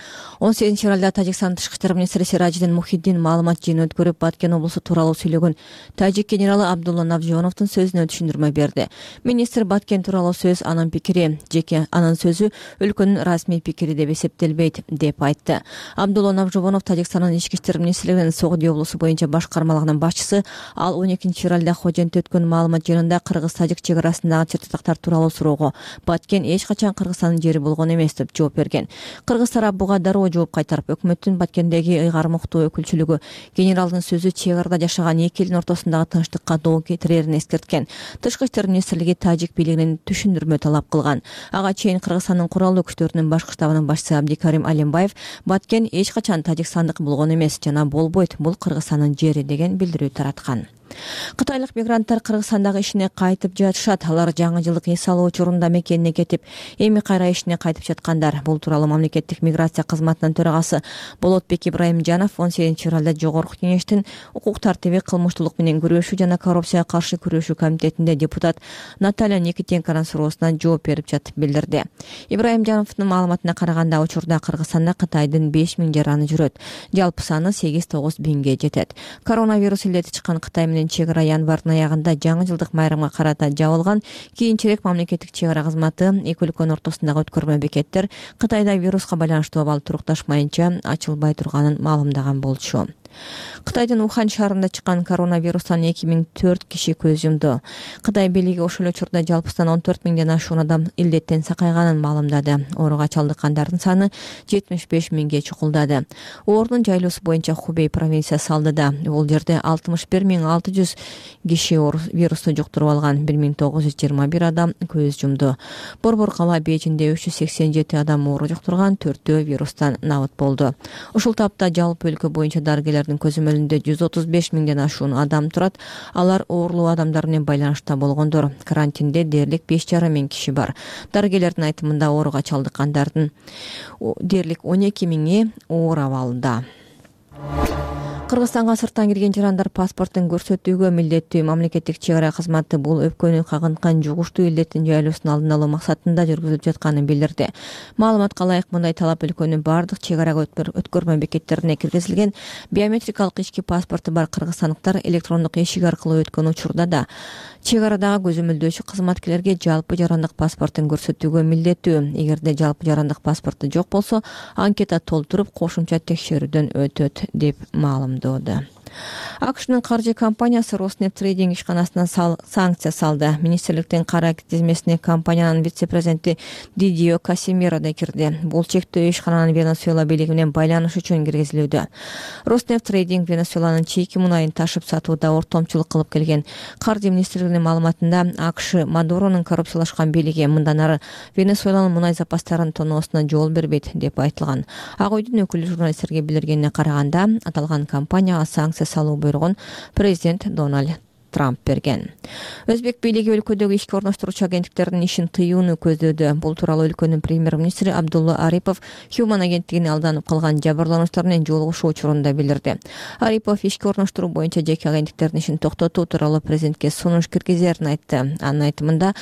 18 февралда Тажикстан тышкы иштер министри Сиражидин Мухиддин маалымат жыйынын өткөрүп, Баткен облусу тууралуу сүйлөгөн тажик генералы Абдулла Навжоновдун сөзүнө түшүндүрмө берди. Министр Баткен тууралуу сөз анын пикири, жеке анын сөзү өлкөнүн расмий пикири деп эсептелбейт деп айтты. Абдулла Навжонов Тажикстандын ички иштер министрлигинин Согди облусу боюнча башкармалыгынын башчысы. Ал 12 февралда Хожентте өткөн маалымат жыйынында кыргыз-тажик чек арасындагы чыртактар тууралуу суроого Баткен эч качан Кыргызстандын жери болгон эмес деп жооп берген. Кыргыз тарап буга дароо жооп кайтарып, өкмөттүн Баткендеги ыйгармыктуу өкүлчүлүгү генералдын сөзү чек арада жашаган эки элдин ортосундагы тынчтыкка доо кетирерин эскерткен. Тышкы иштер министрлиги тажик бийлигинен түшүндүрмө талап кылган. Ага чейин Кыргызстандын куралдуу күчтөрүнүн башкы штабынын башчысы Абдикарим Алимбаев Баткен эч качан тажикстандык болгон эмес жана болбойт, бул Кыргызстандын жери деген билдирүү тараткан. Кытайлык мигранттар Кыргызстандагы ишине кайтып жатышат. Алар жаңы жылдык эс алуу учурунда мекенине кетип, эми кайра ишине кайтып жаткандар. Бул тууралуу мамлекеттик миграция кызматынын төрагасы Болотбек Ибраимжанов 18 февралда Жогорку кеңештин укук тартиби, кылмыштуулук менен күрөшүү жана коррупцияга каршы күрөшүү комитетинде депутат Наталья Никитенконун суроосуна жооп берип жатып билдирди. Ибраимжановдун маалыматына караганда, учурда Кыргызстанда Кытайдын 5000 жараны жүрөт. Жалпы саны 8-9 бинге жетет. Коронавирус илети чыккан Кытай менен чек ара январдын аягында жаңы жылдык майрамга карата жабылган. Кийинчерээк мамлекеттик чек ара кызматы эки өлкөнүн ортосундагы өткөрмө бекеттер Кытайда вируска байланыштуу абал турукташмайынча ачылбай турганын маалымдаган болчу. Кытайдын Ухан шаарында чыккан коронавирустан 2004 киши көз жумду. Кытай бийлиги ошол учурда жалпысынан 14 миңден ашуун адам илдеттен сакайганын маалымдады. Ооруга чалдыккандардын саны 75 миңге чукулдады. Оорунун жайлоосу боюнча Хубей провинциясы алдыда. Бул жерде 61600 киши вирусту жуктуруп алган, 1921 адам көз жумду. Борбор кала Бейжиңде 387 адам оору жуктурган, 4-төө вирустан набыт болду. Ушул тапта жалпы өлкө боюнча дарыгерлердин көзөмөлүндө 135 миңден ашуун адам турат. Алар оорулуу адамдар менен байланышта болгондор. Карантинде дээрлик 5,5 миң киши бар. Дарыгерлердин айтымында ооруга чалдыккандардын дээрлик 12 миңи оор абалда. Кыргызстанга сырттан кирген жарандар паспортун көрсөтүүгө милдеттүү. Мамлекеттик чек ара кызматы бул өпкөнү кагынткан жугуштуу илдеттин жайлоосун алдын алуу максатында жүргүзүлүп жатканын билдирди. Маалыматка ылайык, мындай талап өлкөнүн бардык чек арага өткөрмө бекеттерине киргизилген. Биометрикалык ички паспорту бар кыргызстандыктар электрондук эшик аркылуу өткөн учурда да чек арадагы көзөмөлдөөчү кызматкерлерге жалпы жарандык паспортун көрсөтүүгө милдеттүү. Эгерде жалпы жарандык паспорту жок болсо, анкета толтуруп кошумча текшерүүдөн өтөт деп маалымдоодо. АКШнын каржы компаниясы Роснефть трейдинг ишканасына санкция салды. Министрликтин кара тизмесине компаниянын вице-президенти Дидио Касимиро да кирди. Бул чектөө ишкананын Венесуэла бийлиги менен байланыш үчүн киргизилүүдө. Роснефть трейдинг Венесуэланын чийки мунайын ташып сатууда ортомчулук кылып келген. Каржы министрлигинин маалыматында АКШ Мадуронун коррупциялашкан бийлиги мындан ары Венесуэланын мунай запастарын тоноосуна жол бербейт деп айтылган. Ак үйдүн өкүлү журналисттерге билдиргенине караганда, аталган компанияга санкция салуу буйругун президент Дональд Трамп берген. Өзбек бийлиги өлкөдөгү ишке орноштуруучу агенттиктердин ишин тыюуну көздөөдө. Бул тууралуу өлкөнүн премьер-министри Абдулла Арипов Human агенттигине алданып калган жабырлануучулар менен жолугушуу учурунда билдирди. Арипов ишке орноштуруу боюнча жеке агенттиктердин ишин токтотуу тууралуу президентке сунуш киргизерин айтты. Анын айтымында,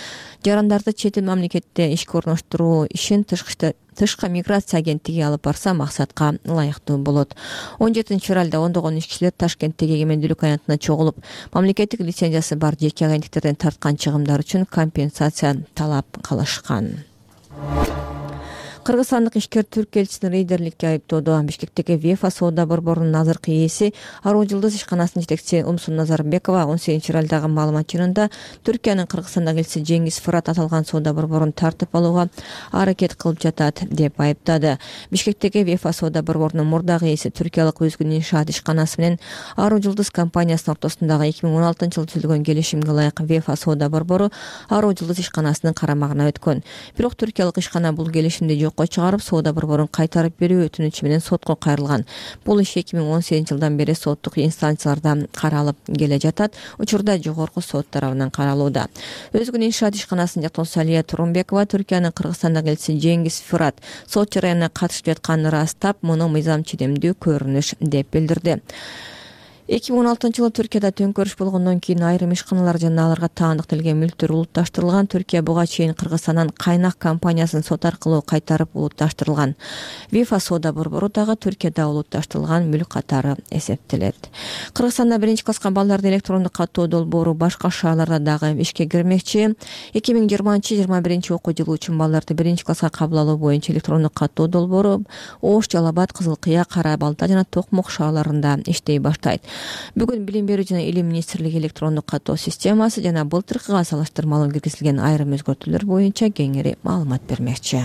жарандарды чет эл мамлекетте ишке орноштуруу ишин тышкы миграция агенттиги алып барса максатка ылайыктуу болот. 17 февралда ондогон иш кишилер Ташкенттеги эгемендүүлүк аянтына чогулуп, мамлекеттик лицензиясы бар жеке агенттиктерден тарткан чыгымдар үчүн компенсация талап кылышкан. Кыргызстандык ишкер түрк элчисин рейдерликке айыптоодо. Бишкектеги ВЕФА соода борборунун азыркы ээси Аруу Жылдыз ишканасынын жетекчиси Умсун Назарбекова 18 февралдагы маалымат жыйынында Түркиянын Кыргызстандагы элчиси Жеңиз Фырат аталган соода борборун тартып алууга аракет кылып жатат деп айыптады. Бишкектеги ВЕФА соода борборунун мурдагы ээси түркиялык Өзгүн иншаат ишканасы менен Аруу Жылдыз компаниясынын ортосундагы 2016-жылы түзүлгөн келишимге ылайык ВЕФА соода борбору Аруу Жылдыз ишканасынын карамагына өткөн. Бирок түркиялык ишкана бул келишимди чыгарып соода борборун кайтарып берүү өтүнүчү менен сотко кайрылган. Бул иш 2018-жылдан бери соттук инстанцияларда каралып келе жатат. Учурда жогорку сот тарабынан каралууда. Өзгүн иншаат ишканасынын жактоосу Алия Турунбекова Түркиянын Кыргызстандагы элчиси Жеңиз Фырат сот жараянына катышып жатканын ырастап, муну мыйзам чидемдүү көрүнүш деп билдирди. 2016-жылы Түркияда төңкөрүш болгондон кийин айрым ишканалар жана аларга таандыкталган мүлктөр улутташтырылган. Түркия буга чейин Кыргызстандан кайнак компаниясын сот аркылуу кайтарып улутташтырылган. ВЕФА соода борбору дагы Түркияда улутташтырылган мүлк катары эсептелет. Кыргызстанда биринчи класска балдарды электрондук каттоо долбоору башка шаарларда дагы ишке кирмекчи. 2020-21 окуу жылы үчүн балдарды биринчи класска кабыл алуу боюнча электрондук каттоо долбоору Ош, Жалал Абад, Кызыл Кыя, Кара Балта жана Токмок шаарларында иштей баштайт. Бүгүн Билим берүү жана Илим министрлиги электрондук каттоо системасы жана былтыркыга салыштырмалуу киргизилген айрым өзгөртүүлөр боюнча кеңири маалымат бермекчи.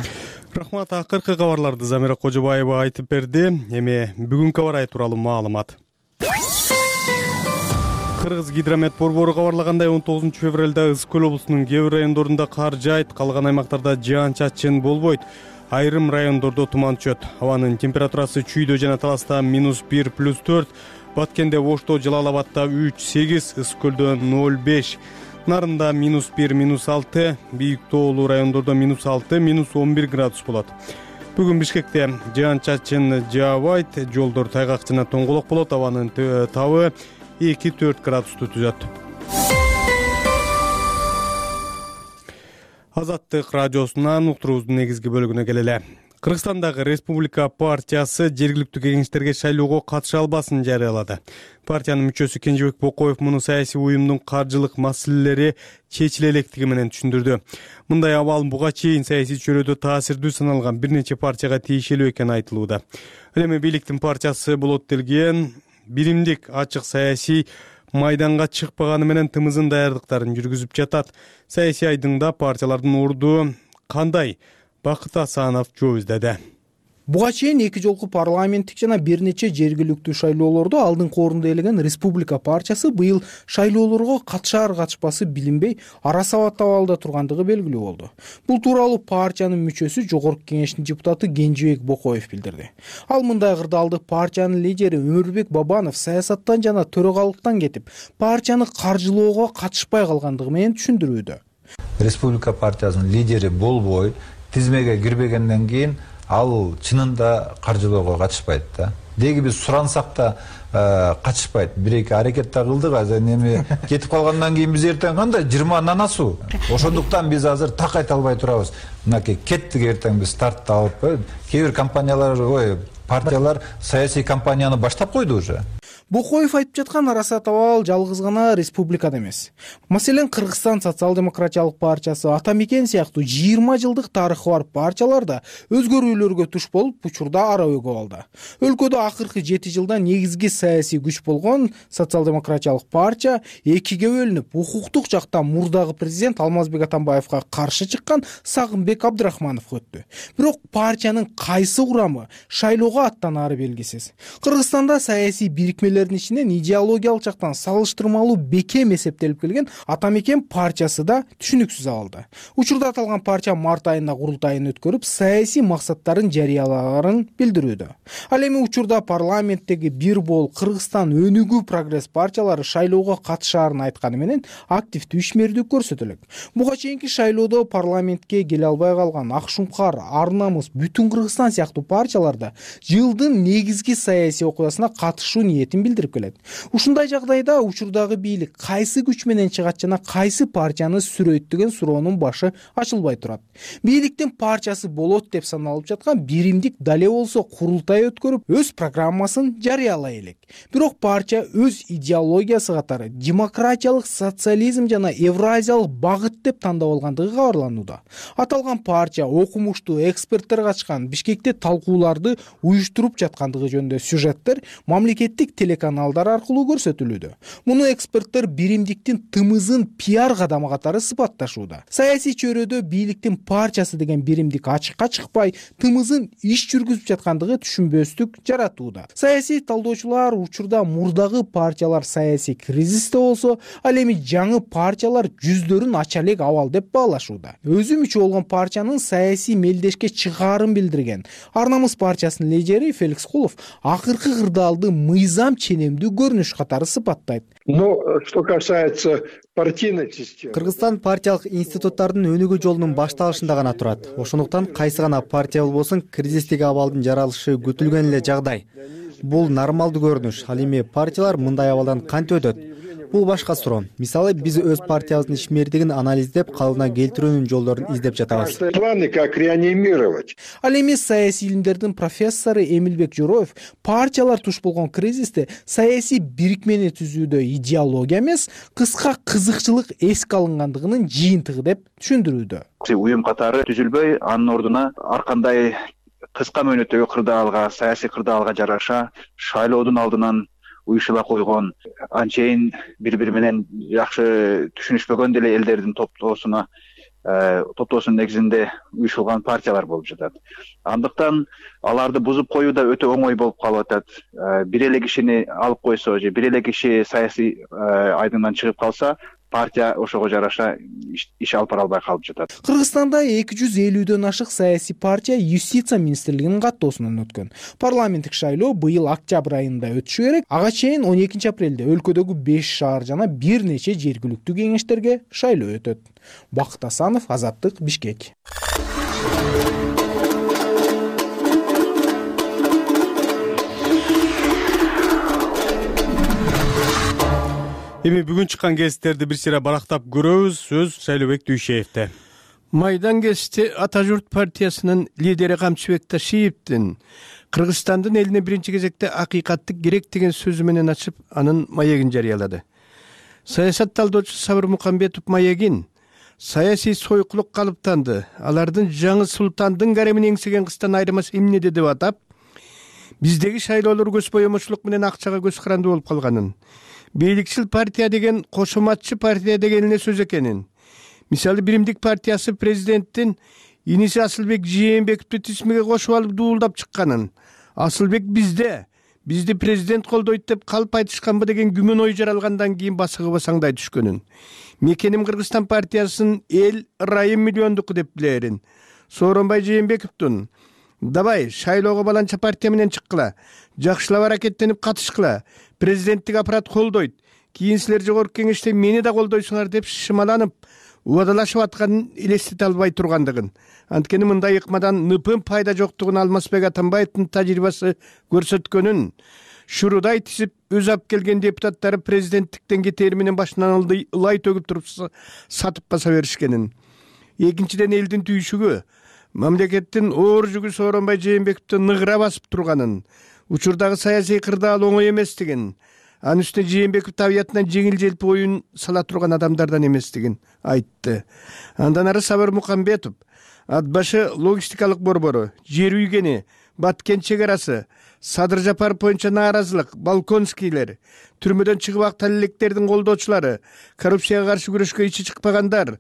Рахмат, акыркы кабарларды Замира Кожобаева айтып берди. Эми бүгүнкү аба ырайы тууралуу маалымат. Кыргыз гидромет борбору кабарлагандай 19 февралда Ысык Көл облусунун кээ бир райондорунда кар жаайт, калган аймактарда жаан-чачын болбойт. Айрым райондордо туман түшөт. Абанын температурасы Чүйдө жана Таласта -1 +4, Баткенде, Ошто, Жалал Абадта 3-8, Ысык Көлдө 0-5, Нарында -1, -6, Бийик тоолуу райондордо -6, -11 градус болот. Бүгүн Бишкекте жаан-чачын жаабайт, жолдор тайгак жана тоңголок болот, абанын табы 2-4 градусту түзөт. Азаттык радиосунан уктуруубуздун негизги бөлүгүнө келели. Кыргызстандагы Республика партиясы жергиликтүү кеңештерге шайлоого катыша албасын жарыялады. Партиянын мүчөсү Кенжебек Бокоев муну саясий уюмдун каржылык маселелери чечиле электиги менен түшүндүрдү. Мындай абал буга чейин саясий чөйрөдө таасирдүү саналган бир нече партияга тиешелүү экени айтылууда. Ал эми бийликтин партиясы болот делген биримдик ачык саясий майданга чыкпаганы менен тымызын даярдыктарын жүргүзүп жатат. Саясий айдыңда партиялардын орду кандай? Бакыт Асанов жооп издеди. Буга чейин 2 жолку парламенттик жана бир нече жергиликтүү шайлоолордо алдыңкы орунду ээлеген Республика партиясы быйыл шайлоолорго катышар-катышпасы билинбей ара сабат абалда тургандыгы белгилүү болду. Бул тууралуу партиянын мүчөсү Жогорку кеңештин депутаты Кенжебек Бокоев билдирди. Ал мындай кырдаалды партиянын лидери Өмүрбек Бабанов саясаттан жана төрагалыктан кетип, партияны каржылоого катышпай калгандыгы менен түшүндүрүүдө. Республика партиясынын лидери болбой, тизмеге кирбегенден кийин ал чынында каржылоого катышпайт да. Деги биз сурансак да катышпайт. Бир-эки аракет да кылдык, азыр эми кетип калгандан кийин биз эртең кандай 20 нанасуу. Ошондуктан биз азыр так айта албай турабыз. Мынакей кеттик эртең биз стартты алып, кээ бир компаниялар, партиялар саясий кампанияны баштап койду уже. Бокоев айтып жаткан араса табал жалгыз гана республикада эмес. Маселен, Кыргызстан социал-демократиялык партиясы, Ата Мекен сыяктуу 20 жылдык тарыхы бар партиялар да өзгөрүүлөргө туш болуп, учурда ара өгүп алды. Өлкөдө акыркы 7 жылда негизги саясий күч болгон социал-демократиялык партия экиге бөлүнүп, укуктук жакта мурдагы президент Алмазбек Атамбаевга каршы чыккан Сагынбек Абдрахмановго өттү. Бирок партиянын кайсы курамы шайлоого аттанаары белгисиз. Кыргызстанда саясий бирикмелердин ичинен идеологиялык жактан салыштырмалуу бекем эсептелип келген Ата Мекен партиясы да түшүнүксүз абалда. Учурда аталган партия март айында курултайын өткөрүп, саясий максаттарын жарыялагарын билдирүүдө. Ал эми учурда парламенттеги бир бол Кыргызстан өнүгүү прогресс партиялары шайлоого катышаарын айтканы менен активдүү ишмердик көрсөтөлөк. Буга чейинки шайлоодо парламентке келе албай калган Ак Шумкар, Ар Намыс, Бүтүн Кыргызстан сыяктуу партияларда жылдын негизги саясий окуясына катышуу ниетин билдирип келет. Ушундай жагдайда учурдагы бийлик кайсы күч менен чыгат жана кайсы партияны сүрөйт деген суроонун башы ачылбай турат. Бийликтин партиясы болот деп саналып жаткан биримдик дале болсо курултай өткөрүп, өз программасын жарыялай элек. Бирок партия өз идеологиясы катары демократиялык социализм жана евразиялык багыт деп тандап алгандыгы кабарланууда. Аталган партия окумуштуу эксперттер катышкан Бишкекте талкууларды уюштуруп жаткандыгы жөнүндө сюжеттер мамлекеттик телеканалдар аркылуу көрсөтүлүүдө. Муну эксперттер биримдиктин тымызын пиар кадамы катары сыпатташууда. Саясий чөйрөдө бийликтин партиясы деген биримдик ачыкка чыкпай, тымызын иш жүргүзүп жаткандыгы түшүнбөстүк жаратууда. Саясий талдоочулар учурда мурдагы партиялар саясий кризисте болсо, ал эми жаңы партиялар жүздөрүн ача элек абал деп баалашууда. Өзү мүчө болгон партиянын саясий мелдешке чыгаарын билдирген Ар Намыс партиясынын лидери Феликс Кулов акыркы кырдаалды мыйзам ченемдүү көрүнүш катары сыпаттайт. Но что касается партийной системы, Кыргызстан партиялык институттардын өнүгүү жолунун башталышында гана турат. Ошондуктан кайсы гана партия болбосун кризистеги абалдын жаралышы күтүлгөн эле жагдай. Бул нормалдуу көрүнүш. Ал эми партиялар мындай абалдан кантип өтөт? Бул башка суроо. Мисалы, биз өз партиябыздын ишмердигин анализдеп, калыбына келтирүүнүн жолдорун издеп жатабыз. Планы как реанимировать. Ал эми саясий илимдердин профессору Эмилбек Жороев партиялар туш болгон кризисте саясий бирикмени түзүүдө идеология эмес, кыска кызыкчылык эске алынгандыгынын жыйынтыгы деп түшүндүрүүдө. Уюм катары түзүлбөй, анын ордуна ар кандай кыска мөөнөттөгү кырдаалга, саясий кырдаалга жараша шайлоодун алдынан уюшула койгон, анчейин бири-бири менен жакшы түшүнүшпөгөн деле элдердин топтоосунун негизинде уюшулган партиялар болуп жатат. Андыктан аларды бузуп коюу да өтө оңой болуп калып атат. Бир эле кишини алып койсо же бир эле киши саясий айдыңдан чыгып калса, партия ошого жараша иш алып бара албай калып жатат. Кыргызстанда 250дөн ашык саясий партия Юстиция министрлигинин каттоосунан өткөн. Парламенттик шайлоо быйыл октябрь айында өтүшү керек. Ага чейин 12 апрелде өлкөдөгү 5 шаар жана бир нече жергиликтүү кеңештерге шайлоо өтөт. Бакыт Асанов, Азаттык, Бишкек. Эми бүгүн чыккан гезиттерди бир сыйра барактап көрөбүз. Сөз Шайлообек Дүйшеевде. Майдан гезити Ата журт партиясынын лидери Камчыбек Ташиевдин Кыргызстандын элине биринчи кезекте акыйкаттык керек деген сөзү менен ачып, анын маегин жарыялады. Саясат талдоочу Сабыр Мукамбетов маегин саясий сойкулук калыптанды, алардын жаңы султандын гаремин эңсеген кыздан айырмасы эмнеде деп атап, биздеги шайлоолор көз боемочулук менен акчага көз карандуу болуп калганын, бийликчил партия деген кошоматчы партия дегенине сөз экенин, мисалы Биримдик партиясы президенттин иниси Асылбек Жээнбековду тисмеге кошуп алып дуулдап чыкканын, Асылбек бизди президент колдойт деп калп айтышканбы деген күмөн ой жаралгандан кийин басыгы басаңдай түшкөнүн, мекеним Кыргызстан партиясынын эл ырайым миллиондуку деп билерин, Сооронбай Жээнбековдун давай шайлоого баланча партия менен чыккыла, жакшылап аракеттенип катышкыла, президенттик аппарат колдойт, кийин силер жогорку кеңеште мени да колдойсуңар деп шымаланып, убадалашып атканын элестете албай тургандыгын, анткени мындай ыкмадан ныпын пайда жоктугун Алмазбек Атамбаевдин тажрыйбасы көрсөткөнүн, шурудай тизип өз алып келген депутаттары президенттиктен кетери менен башынан ылай төгүп туруп сатып баса беришкенин. Экинчиден элдин түйшүгү, мамлекеттин оор жүгү Сооронбай Жээнбековду ныгыра басып турганын, учурдагы саясий кырдаал оңой эместигин, анын үстүнө Жээнбеков табиятынан жеңил желпи оюн сала турган адамдардан эместигин айтты. Андан ары Сабыр Мукамбетов ат башы логистикалык борбору, жер үйгени, Баткен чек арасы, Садыр Жапаров боюнча нааразылык, Балконскийлер, түрмөдөн чыгып ак талелектердин колдоочулары, коррупцияга каршы күрөшкө ичи чыкпагандар,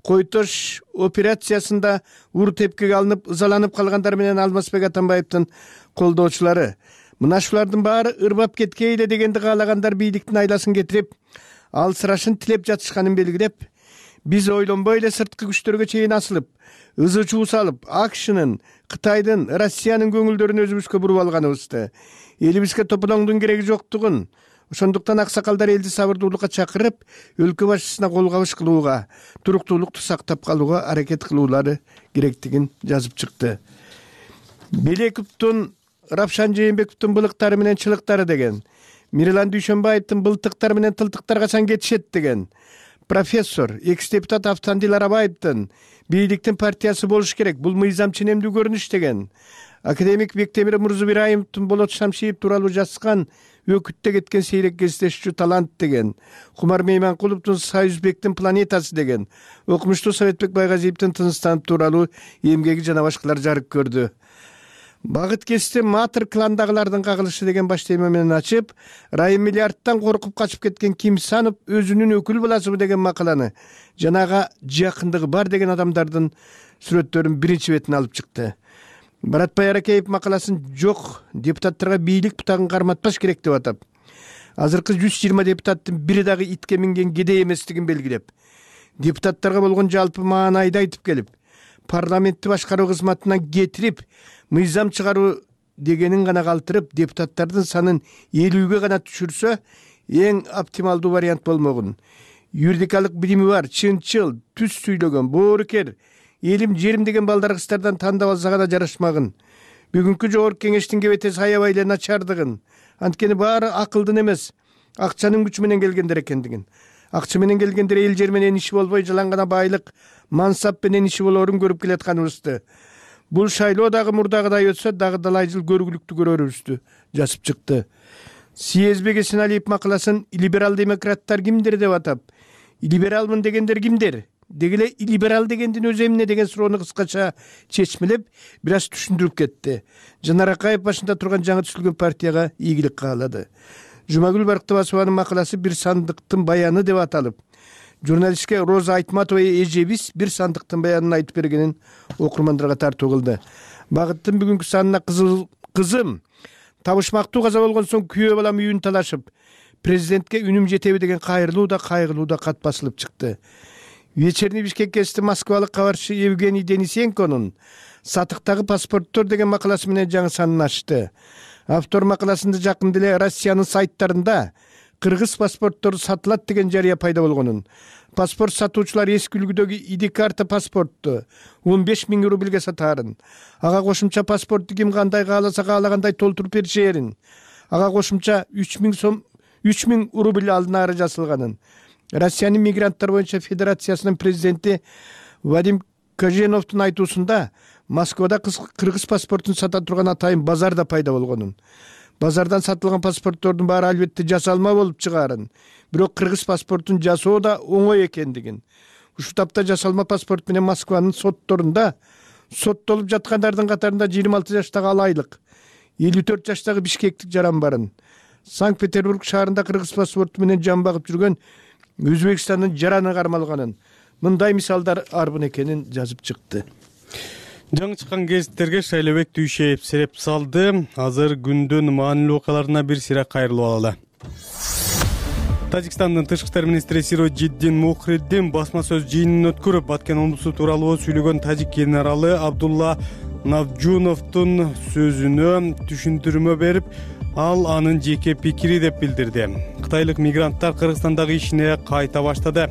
Койтош операциясында ур тепкиге алынып, ызаланып калгандар менен Алмазбек Атамбаевдин колдоочулары. Мына ушулардын баары ырбап кеткейле дегенди каалагандар бийликтин айласын кетирип, алсырашын тилеп жатышканын белгилеп, биз ойлонбой эле сырткы күчтөргө чейин асылып, ызы чуу салып, АКШнын, Кытайдын, Россиянын көңүлдөрүн өзүбүзгө буруп алганыбызды, элибизге топоноңдун кереги жоктугун, ошондуктан аксакалдар элди сабырдуулукка чакырып, өлкө башчысына кол кабыш кылууга, туруктуулукту сактап калууга аракет кылуулары керектигин жазып чыкты. Белековдун, Рапшан Жээнбековдун былыктары менен чылыктары деген, Мирлан Дүйшөнбаевдин былтыктар менен тылтыктар качан кетишет деген, профессор, экс-депутат Автандил Арабаевдин бийликтин партиясы болуш керек, бул мыйзам ченемдүү көрүнүш деген, академик Бектемир Мурзубираевдин Болот Шамшиев тууралуу жазган Өкүттө кеткен сейрек кездешчү талант деген, Кумар Мейманкуловдун Союзбектин планетасы деген, окумуштуу Советбек Байгазиевдин Тыныстанып тууралуу эмгеги жана башкалар жарык көрдү. Багыт кести Матыр кландагылардын кагылышы деген баш тема менен ачып, Райым миллиардтан коркуп качып кеткен Кимсанов өзүнүн өкүл баласыбы деген макаланы, жанага жакындыгы бар деген адамдардын сүрөттөрүн биринчи бетине алып чыкты. Баратбай Аракеев макаласын жок, депутаттарга бийлик бутагын карматпаш керек деп атап, азыркы 120 депутаттын бири дагы итке минген кедей эместигин белгилеп, депутаттарга болгон жалпы маанайды айтып келип, парламентти башкаруу кызматынан кетирип, мыйзам чыгаруу дегенин гана калтырып, депутаттардын санын 50ге гана түшүрсө, эң оптималдуу вариант болмогун. Юридикалык билими бар, чынчыл, түз сүйлөгөн, боорукер, элим жерим деген балдар кыздардан тандап алса гана жарашмагын. Бүгүнкү жогорку кеңештин кебетеси аябай эле начардыгын, анткени баары акылдын эмес, акчанын күчү менен келгендер экендигин. Акча менен келгендер эл жер менен иши болбой, жалаң гана байлык, мансап менен иши болоорун көрүп келатканыбызды. Бул шайлоо дагы мурдагыдай өтсө, дагы далай жыл көргүлүктүү көрөрүбүздү жазып чыкты. Съезбек Эсеналиев макаласын либерал демократтар кимдер деп атап, либералмын дегендер кимдер? Дегеле либерал дегендин өзү эмне деген суроону кыскача чечмелеп, бир аз түшүндүрүп кетти. Жанар Акаев башында турган жаңы түзүлгөн партияга ийгилик каалады. Жумагүл Барктыбасованын макаласы бир сандыктын баяны деп аталып, журналистке Роза Айтматова эжебиз бир сандыктын баянын айтып бергенин окурмандарга тартуу кылды. Багыттын бүгүнкү санына кызым табышмактуу каза болгон соң күйөө балам үйүн талашып, президентке үнүм жетеби деген кайрылуу да кайгылуу да кат басылып чыкты. Вечерний Бишкек гезити москвалык кабарчы Евгений Денисенконун сатыктагы паспорттор деген макаласы менен жаңы санын ачты. Автор макаласында жакында эле Россиянын сайттарында кыргыз паспорттору сатылат деген жарыя пайда болгонун, паспорт сатуучулар эски үлгүдөгү ID карта паспортту 15 000 рубльге сатаарын, ага кошумча паспортту ким кандай кааласа каалагандай толтуруп беришерин, ага кошумча 3 000 рубль алынаары жазылганын, Россиянын мигранттар боюнча федерациясынын президенти Вадим Коженовдун айтуусунда Москвада кыргыз паспортун сата турган атайын базар да пайда болгонун, базардан сатылган паспорттордун баары албетте жасалма болуп чыгаарын, бирок кыргыз паспортун жасоо да оңой экендигин, ушул тапта жасалма паспорт менен Москванын сотторунда соттолуп жаткандардын катарында 26 жаштагы Алайлык, 54 жаштагы бишкектик жаран барын, Санкт-Петербург шаарында кыргыз паспорту менен жан багып жүргөн Өзбекстандын жараны кармалганын, мындай мисалдар арбын экенин жазып чыкты. Жаңы чыккан гезиттерге Шайлообек Дүйшеев сереп салды. Азыр күндүн маанилүү окуяларына бир сыйра кайрылып алалы. Тажикстандын тышкы иштер министри Сироджиддин Мухриддин басма сөз жыйынын өткөрүп, Баткен омбусу тууралуу сүйлөгөн тажик генералы Абдулла Навжуновдун сөзүнө түшүндүрмө берип, ал анын жеке пикири деп билдирди. Кытайлык мигранттар Кыргызстандагы ишине кайта баштады.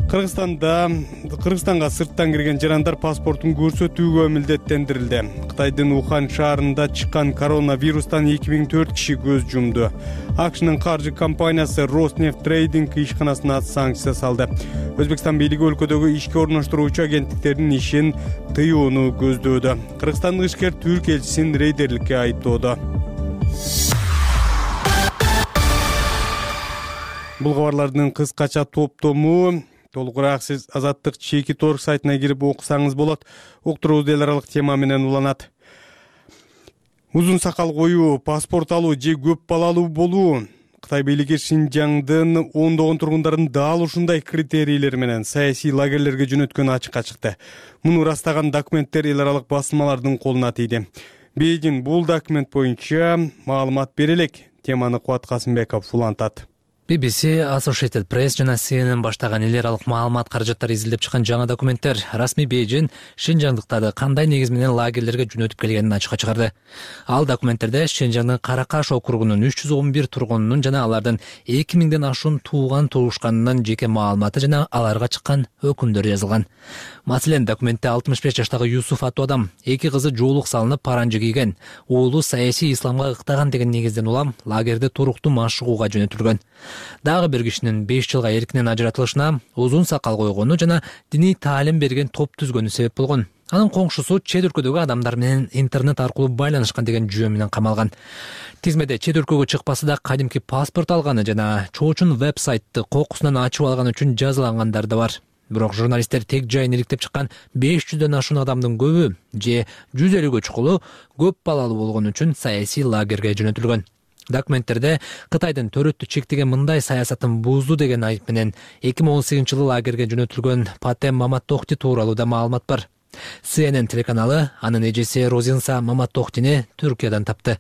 Кыргызстанга сырттан кирген жарандар паспортун көрсөтүүгө милдеттендирилди. Кытайдын Ухань шаарында чыккан коронавирустан 2004 киши көз жумду. АКШнын каржы компаниясы Роснефть Трейдинг ишканасына санкция салды. Өзбекстан бийлиги өлкөдөгү ишке орноштуруучу агенттиктердин ишин тыюуну көздөөдө. Кыргызстандык ишкер түрк элчисин рейдерликке айыптоодо. Бул кабарлардын кыскача топтому толугураак сиз Азаттык чеки торг сайтына кирип окусаңыз болот. Уктуруубуз эл аралык тема менен уланат. Узун сакал коюу, паспорт алуу же көп балалуу болуу. Кытай бийлиги Шинжаңдын ондогон тургундарын дал ушундай критерийлер менен саясий лагерлерге жөнөткөнү ачыкка чыкты. Муну ырастаган документтер эл аралык басылмалардын колуна тийди. Бейжин бул документ боюнча маалымат бере элек. Теманы Кубат Касымбеков улантат. BBC, Associated Press жана CNN баштаган эл аралык маалымат каражаттары изилдеп чыккан жаңы документтер расмий Бейжин Шинжаңдыктарды кандай негиз менен лагерлерге жөнөтүп келгенин ачыкка чыгарды. Ал документтерде Шинжаңдын Каракаш округунун 311 тургунунун жана алардын 2000ден ашуун тууган-туушканынын жеке маалыматы жана аларга чыккан өкүмдөр жазылган. Маселен, документте 65 жаштагы Юсуф аттуу адам 2 кызы жоолук салынып паранжы кийген, уулу саясий исламга ыктаган деген негизден улам лагерде туруктуу машыгууга жөнөтүлгөн. Дагы бир кишинин 5 жылга эркинен ажыратылышына, узун сакал койгону жана диний таалим берген топ түзгөнү себеп болгон. Анын коңшусу чет өлкөдөгү адамдар менен интернет аркылуу байланышкан деген жүйө менен камалган. Тизмеде чет өлкөгө чыкпасы да кадимки паспорт алганы жана чоочун веб-сайтты кокусунан ачып алган үчүн жазалангандар да бар. Бирок журналисттер тег жайын иликтеп чыккан 500дөн ашуун адамдын көбү же 150гө чукулу көп балалуу болгон үчүн саясий лагерге жөнөтүлгөн. Документтерде Кытайдын төрөттү чектеген мындай саясатын бузду деген айып менен 2018-жылы лагерге жөнөтүлгөн Патем Маматтохти тууралуу да маалымат бар. CNN телеканалы анын эжеси Розинса Маматтохтини Түркиядан тапты.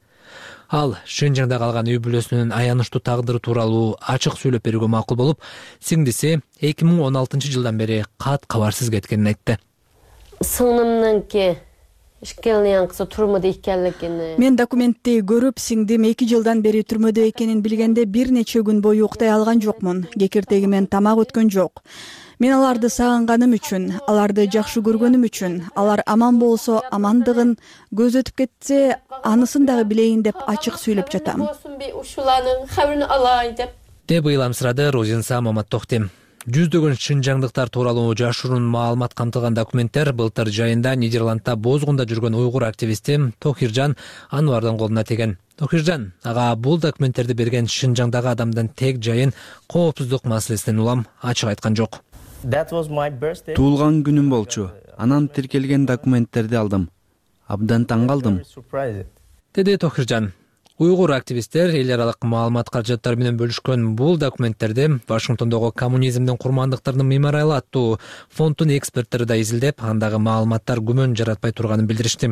Ал Шинжаңда калган үй бүлөсүнүн аянычтуу тагдыры тууралуу ачык сүйлөп берүүгө макул болуп, сиңдиси 2016-жылдан бери кат кабарсыз кеткенин айтты. Сыңнымныңки Мен документти көрүп, сиңдим 2 жылдан бери түрмөдө экенин билгенде бир нече күн бою уктай алган жокмун. Кекиртегимен тамак өткөн жок. Мен аларды сагынганым үчүн, аларды жакшы көргөнүм үчүн, алар аман болсо амандыгын, көз өтүп кетсе анысын дагы билейин деп ачык сүйлөп жатам. Деп ыйламсырады Розинса Маматтохти. Жүздөгөн шинжаңдыктар тууралуу жашыруун маалымат камтылган документтер былтыр жайында Нидерландда бозгунда жүргөн уйгур активисти Тохиржан Анвардын колуна тиген. Тохиржан ага бул документтерди берген Шинжаңдагы адамдын тег жайын коопсуздук маселесинен улам ачык айткан жок. Туулган күнүм болчу. Анан тиркелген документтерди алдым. Абдан таң калдым. Деди Тохиржан. Уйгур активисттер эл аралык маалымат каражаттары менен бөлүшкөн бул документтерди Вашингтондогу коммунизмдин курмандыктарынын мемориалы аттуу фонддун эксперттери да изилдеп, андагы маалыматтар күмөн жаратпай турганын билдиришти.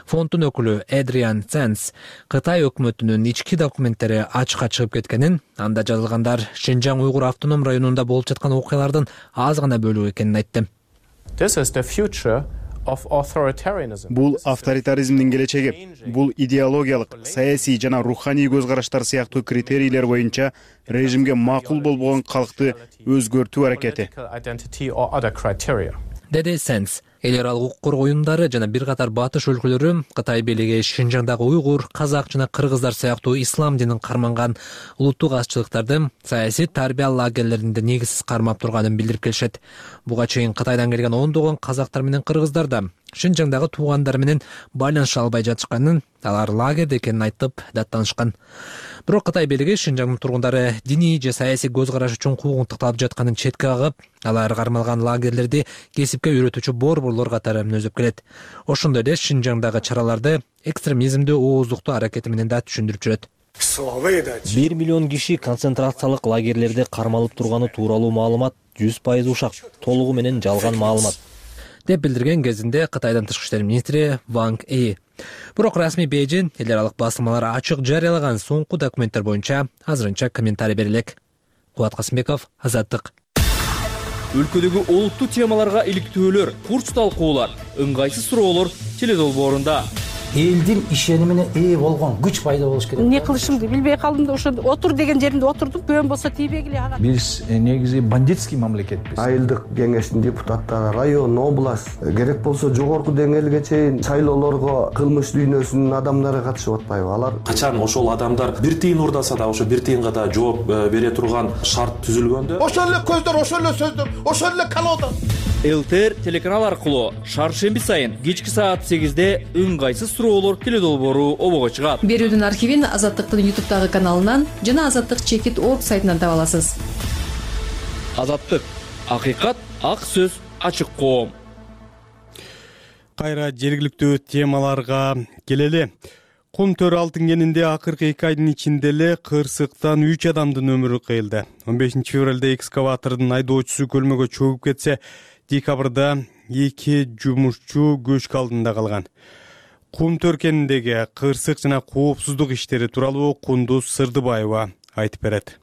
Фонддун өкүлү Эдриан Ценс Кытай өкмөтүнүн ички документтери ачыкка чыгып кеткенин, анда жазылгандар Шинжаң уйгур автоном районунда болуп жаткан окуялардын аз гана бөлүгү экенин айтты. Бул авторитаризмдин келечеги. Бул идеологиялык, саясий жана руханий көз караштар сыяктуу критерийлер боюнча режимге макул болбогон калкты өзгөртүү аракети. Деди Сенс. Эл аралык укук уюмдары жана бир катар батыш өлкөлөрү Кытай бийлиги Шинжаңдагы уйгур, казак жана кыргыздар сыяктуу ислам динин карманган улуттук азчылыктарды саясий тарбия лагерлеринде негизсиз кармап турганын билдирип келишет. Буга чейин Кытайдан келген ондогон казактар менен кыргыздар да Шинжаңдагы туугандары менен байланыша албай жатышканын, алар лагерде экенин айтып даттанышкан. Бирок Кытай бийлиги Шинжаңдын тургундары диний же саясий көз караш үчүн куугунтукталып жатканын четке кагып, алар кармалган лагерлерди кесипке үйрөтүүчү борборлор катары өнөзүп келет. Ошондой эле Шинжаңдагы чараларды экстремизмди ооздуктоо аракети менен да түшүндүрүп жүрөт. 1 миллион киши концентрациялык лагерлерде кармалып турганы тууралуу маалымат 100% ушак, толугу менен жалган маалымат деп билдирген кезинде Кытайдын тышкы иштер министри Ванг Yi. Бирок расмий Бейжин эл аралык басылмалар ачык жарыялаган соңку документтер боюнча азырынча комментарий бере элек. Кубат Касымбеков, Азаттык. Өлкөдөгү олуттуу темаларга иликтөөлөр, курч талкуулар, ыңгайсыз суроолор теледолбоорунда. Элдин ишенимине ээ болгон күч пайда болуш керек. Эмне кылышымды билбей калдым да ошо отур деген жеримде отурдум. Көөн болсо тийбегиле ага. Биз негизи бандитский мамлекетпиз. Айылдык кеңештин депутаттары, район, область, керек болсо жогорку деңгээлге чейин шайлоолорго кылмыш дүйнөсүнүн адамдары катышып атпайбы? Алар качан ошол адамдар бир тыйын урдаса да ошо бир тыйынга да жооп бере турган шарт түзүлгөндө ошол эле көздөр, ошол эле сөздөр, ошол эле колода. ЛТР телеканал аркылуу шаршемби сайын кечки саат 8-де ыңгайсыз суроолор теледолбоору обого чыгат. Берүүдүн архивин Азаттыктын YouTube'дагы каналынан жана Азаттык чекит орг сайтынан таба аласыз. Азаттык, акыйкат, ак сөз, ачык коом. Кайра жергиликтүү темаларга келели. Кум төр алтын кенинде акыркы 2 айдын ичинде эле кырсыктан 3 адамдын өмүрү кыйылды. 15 февралда экскаватордун айдоочусу көлмөгө чөгүп кетсе, декабрда 2 жумушчу көчкү алдында калган. Кум төр кениндеги кырсык жана коопсуздук иштери тууралуу Кундуз Сырдыбаева айтып берет.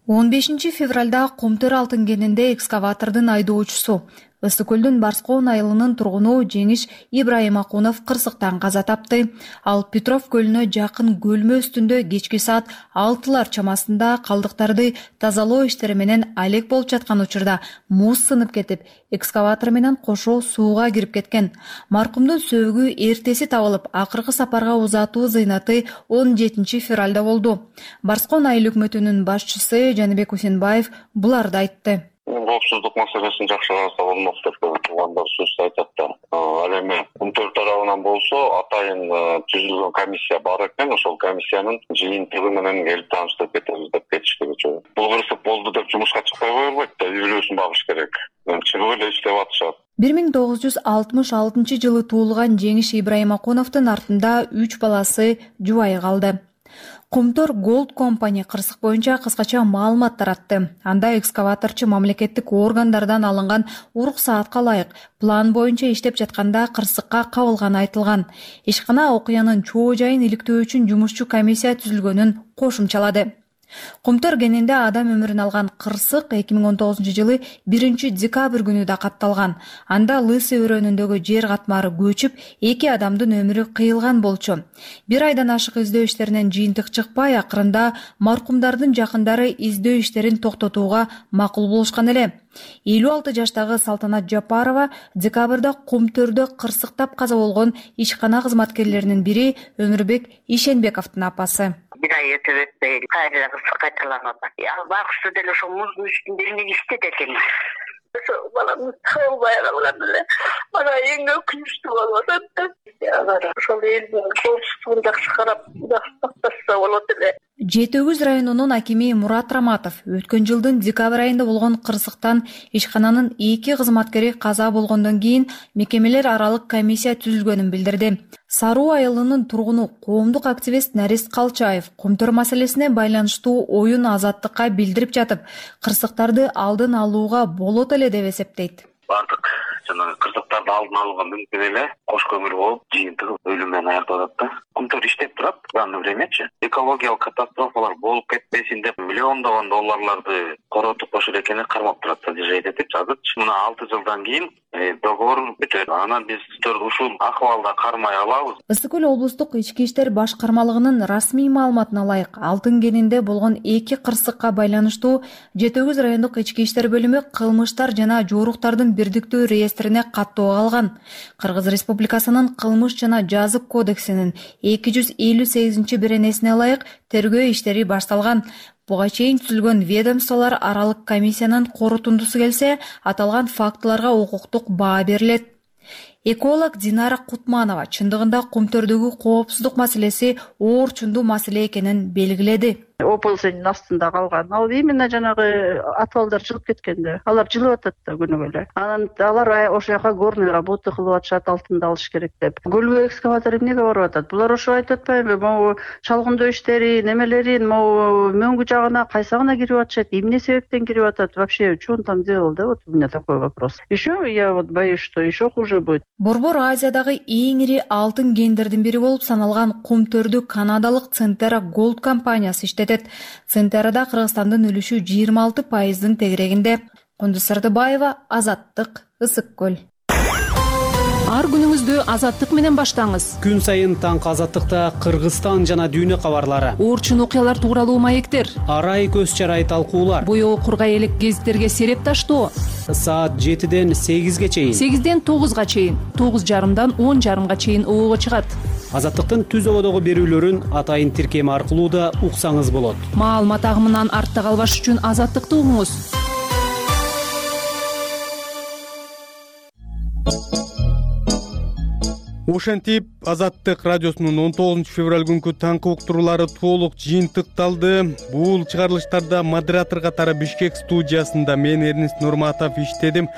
15 февралда Кумтөр алтын кенинде экскаватордун айдоочусу Ысык көлдүн Барскоон айылынын тургуну Жеңиш Ибраимакунов кырсыктан каза тапты. Ал Петров көлүнө жакын көлмө үстүндө кечки саат 6 чамасында калдыктарды тазалоо иштери менен алек болуп жаткан учурда муз сынып кетип, экскаватор менен кошо сууга кирип кеткен. Маркумдун сөөгү эртеси табылып, акыркы сапарга узатуу зыйнаты 17 февралда болду. Барскоон айыл өкмөтүнүн башчысы Жаныбек Усенбаев буларды айтты. Коопсуздук маселесин жакшы караса болмок деп туугандар сөз айтат да. Ал эми Кумтөр тарабынан болсо атайын түзүлгөн комиссия бар экен, ошол комиссиянын жыйынтыгы менен келип тааныштырып кетебиз деп кетишти. Бул кырсык болду деп жумушка чыкпай кое бербейт да, үй бүлөсүн багыш керек. Чыгып эле иштеп атышат. 1966 жылы туулган Жеңиш Ибраимакуновдун артында 3 баласы жубайы калды. Кумтөр Gold Company кырсык боюнча кыскача маалымат таратты. Анда экскаваторчу мамлекеттик органдардан алынган уруксаатка ылайык план боюнча иштеп жатканда кырсыкка кабылганы айтылган. Ишкана окуянын чоо жайын иликтөө үчүн жумушчу комиссия түзүлгөнүн кошумчалады. Кумтөр кенинде адам өмүрүн алган кырсык 2019 жылы 1 декабрь күнү да катталган. Анда Лысы өрөөнүндөгү жер катмары көчүп, 2 адамдын өмүрү кыйылган болчу. 1 айдан ашык издөө иштеринен жыйынтык чыкпай, акырында маркумдардын жакындары издөө иштерин токтотууга макул болушкан эле. 56 жаштагы Салтанат Жапарова декабрда Кумтөрдө кырсыктап каза болгон ишкана кызматкерлеринин бири Өмүрбек Ишенбековдун апасы. 1 ай өтүп өтпөй кайра кырсык кайталанып атат. Ал багышты деле ошол муздун үстүндө эмне иштеди экен. Баламды табылбай калган эле. Мана эң өкүнүчтүү болуп атат. Ошол элдин коопсуздугун жакшы карап, жакшы сакташса болот эле. Жети Өгүз районунун акими Мурат Раматов өткөн жылдын декабрь айында болгон кырсыктан ишкананын 2 кызматкери каза болгондон кийин мекемелер аралык комиссия түзүлгөнүн билдирди. Саруу айылынын тургуну коомдук активист Нарис Калчаев Кумтөр маселесине байланыштуу оюн Азаттыкка билдирип жатып, кырсыктарды алдын алууга болот эле деп эсептейт. Бардык жана кырсыктарды алдын алууга мүмкүн эле, кош көмүр болуп, жыйынтыгы өлүм менен аякталат да. Кумтөр иштеп турат, данный времячы. Экологиялык катастрофалар болуп кетпесин деп миллиондогон долларларды коротуп ошол экени кармап турат да, жейт деп жазып. Мына 6 жылдан кийин договор бүтөт. Анан биз ушул акыбалда кармай алабыз. Ысык көл облустук ички иштер башкармалыгынын расмий маалыматына ылайык, алтын кенинде болгон 2 кырсыкка байланыштуу Жети Өгүз райондук ички иштер бөлүмү кылмыштар жана жоруктардын бирдиктүү реестрине каттоо алган. Кыргыз Республикасынын кылмыш жана жазык кодексинин 258-беренесине ылайык тергөө иштери башталган. Буга чейин түзүлгөн ведомстволор аралык комиссиянын корутундусу келсе, аталган фактыларга укуктук баа берилет. Эколог Динара Кутманова чындыгында Кумтөрдөгү коопсуздук маселеси оорчундуу маселе экенин белгиледи. ОПЗнин астында калган. Ал именно жанагы атыбалдар чыгып кеткенде, алар жылып атат да күнүгө эле. Анан алар ошол жака горный работа кылып атышат, алтынды алыш керек деп. Көлгө экскаватор эмнеге барып атат? Булар ошо айтып атпайбы? Могу чалгындоо иштери, немелерин, могу мөңгү жагына, кайсагына кирип атышат? Эмне себептен кирип атат? Вообще, что он там делал, да? Вот у меня такой вопрос. Еще я вот боюсь, что еще хуже будет. Борбор Азиядагы эң ири алтын кендердин бири болуп саналган Кумтөрдү канадалык Centera Gold компаниясы иштетет. Центерада Кыргызстандын үлүшү 26%-дын тегерегинде. Кундуз Сырдыбаева, Азаттык, Ысык көл. Ар күнүңүздү Азаттык менен баштаңыз. Күн сайын таңкы Азаттыкта Кыргызстан жана дүйнө кабарлары, оорчун окуялар тууралуу маектер, арай көз чарай талкуулар, боёгу кургай элек гезиттерге сереп таштоо. Саат 7-ден 8-ге чейин, 8-ден 9-га чейин, 9:30-дан 10:30-га чейин обого чыгат. Азаттыктын түз ободогу берүүлөрүн атайын тиркем аркылуу да уксаңыз болот. Маалымат агымынан артта калбаш үчүн Азаттыкты угуңуз. Ошентип Азаттык радиосунун 19 февраль күнкү таңкы уктуруулары толук жыйынтыкталды. Бул чыгарылыштарда модератор катары Бишкек студиясында мен Эрнест Нурматов иштедим.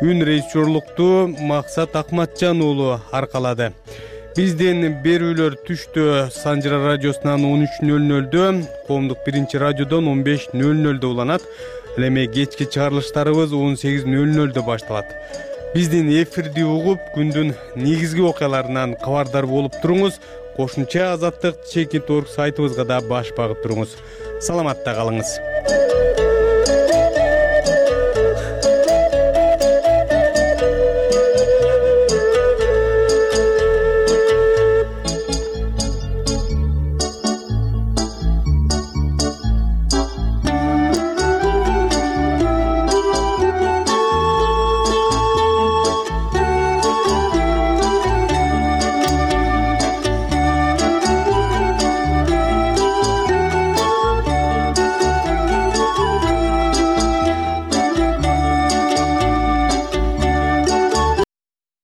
Үн режиссерлукту Максат Акматжан уулу аркалады. Бизден берүүлөр түштө Санжыра радиосунан 13:00, Коомдук биринчи радиодон 15:00 уланат. Ал эми кечки чыгарылыштарыбыз 18:00 башталат. Биздин эфирди угуп, күндүн негизги окуяларынан кабардар болуп туруңуз. Кошумча Азаттык Чекит.org сайтыбызга да баш багып туруңуз. Саламатта калыңыз.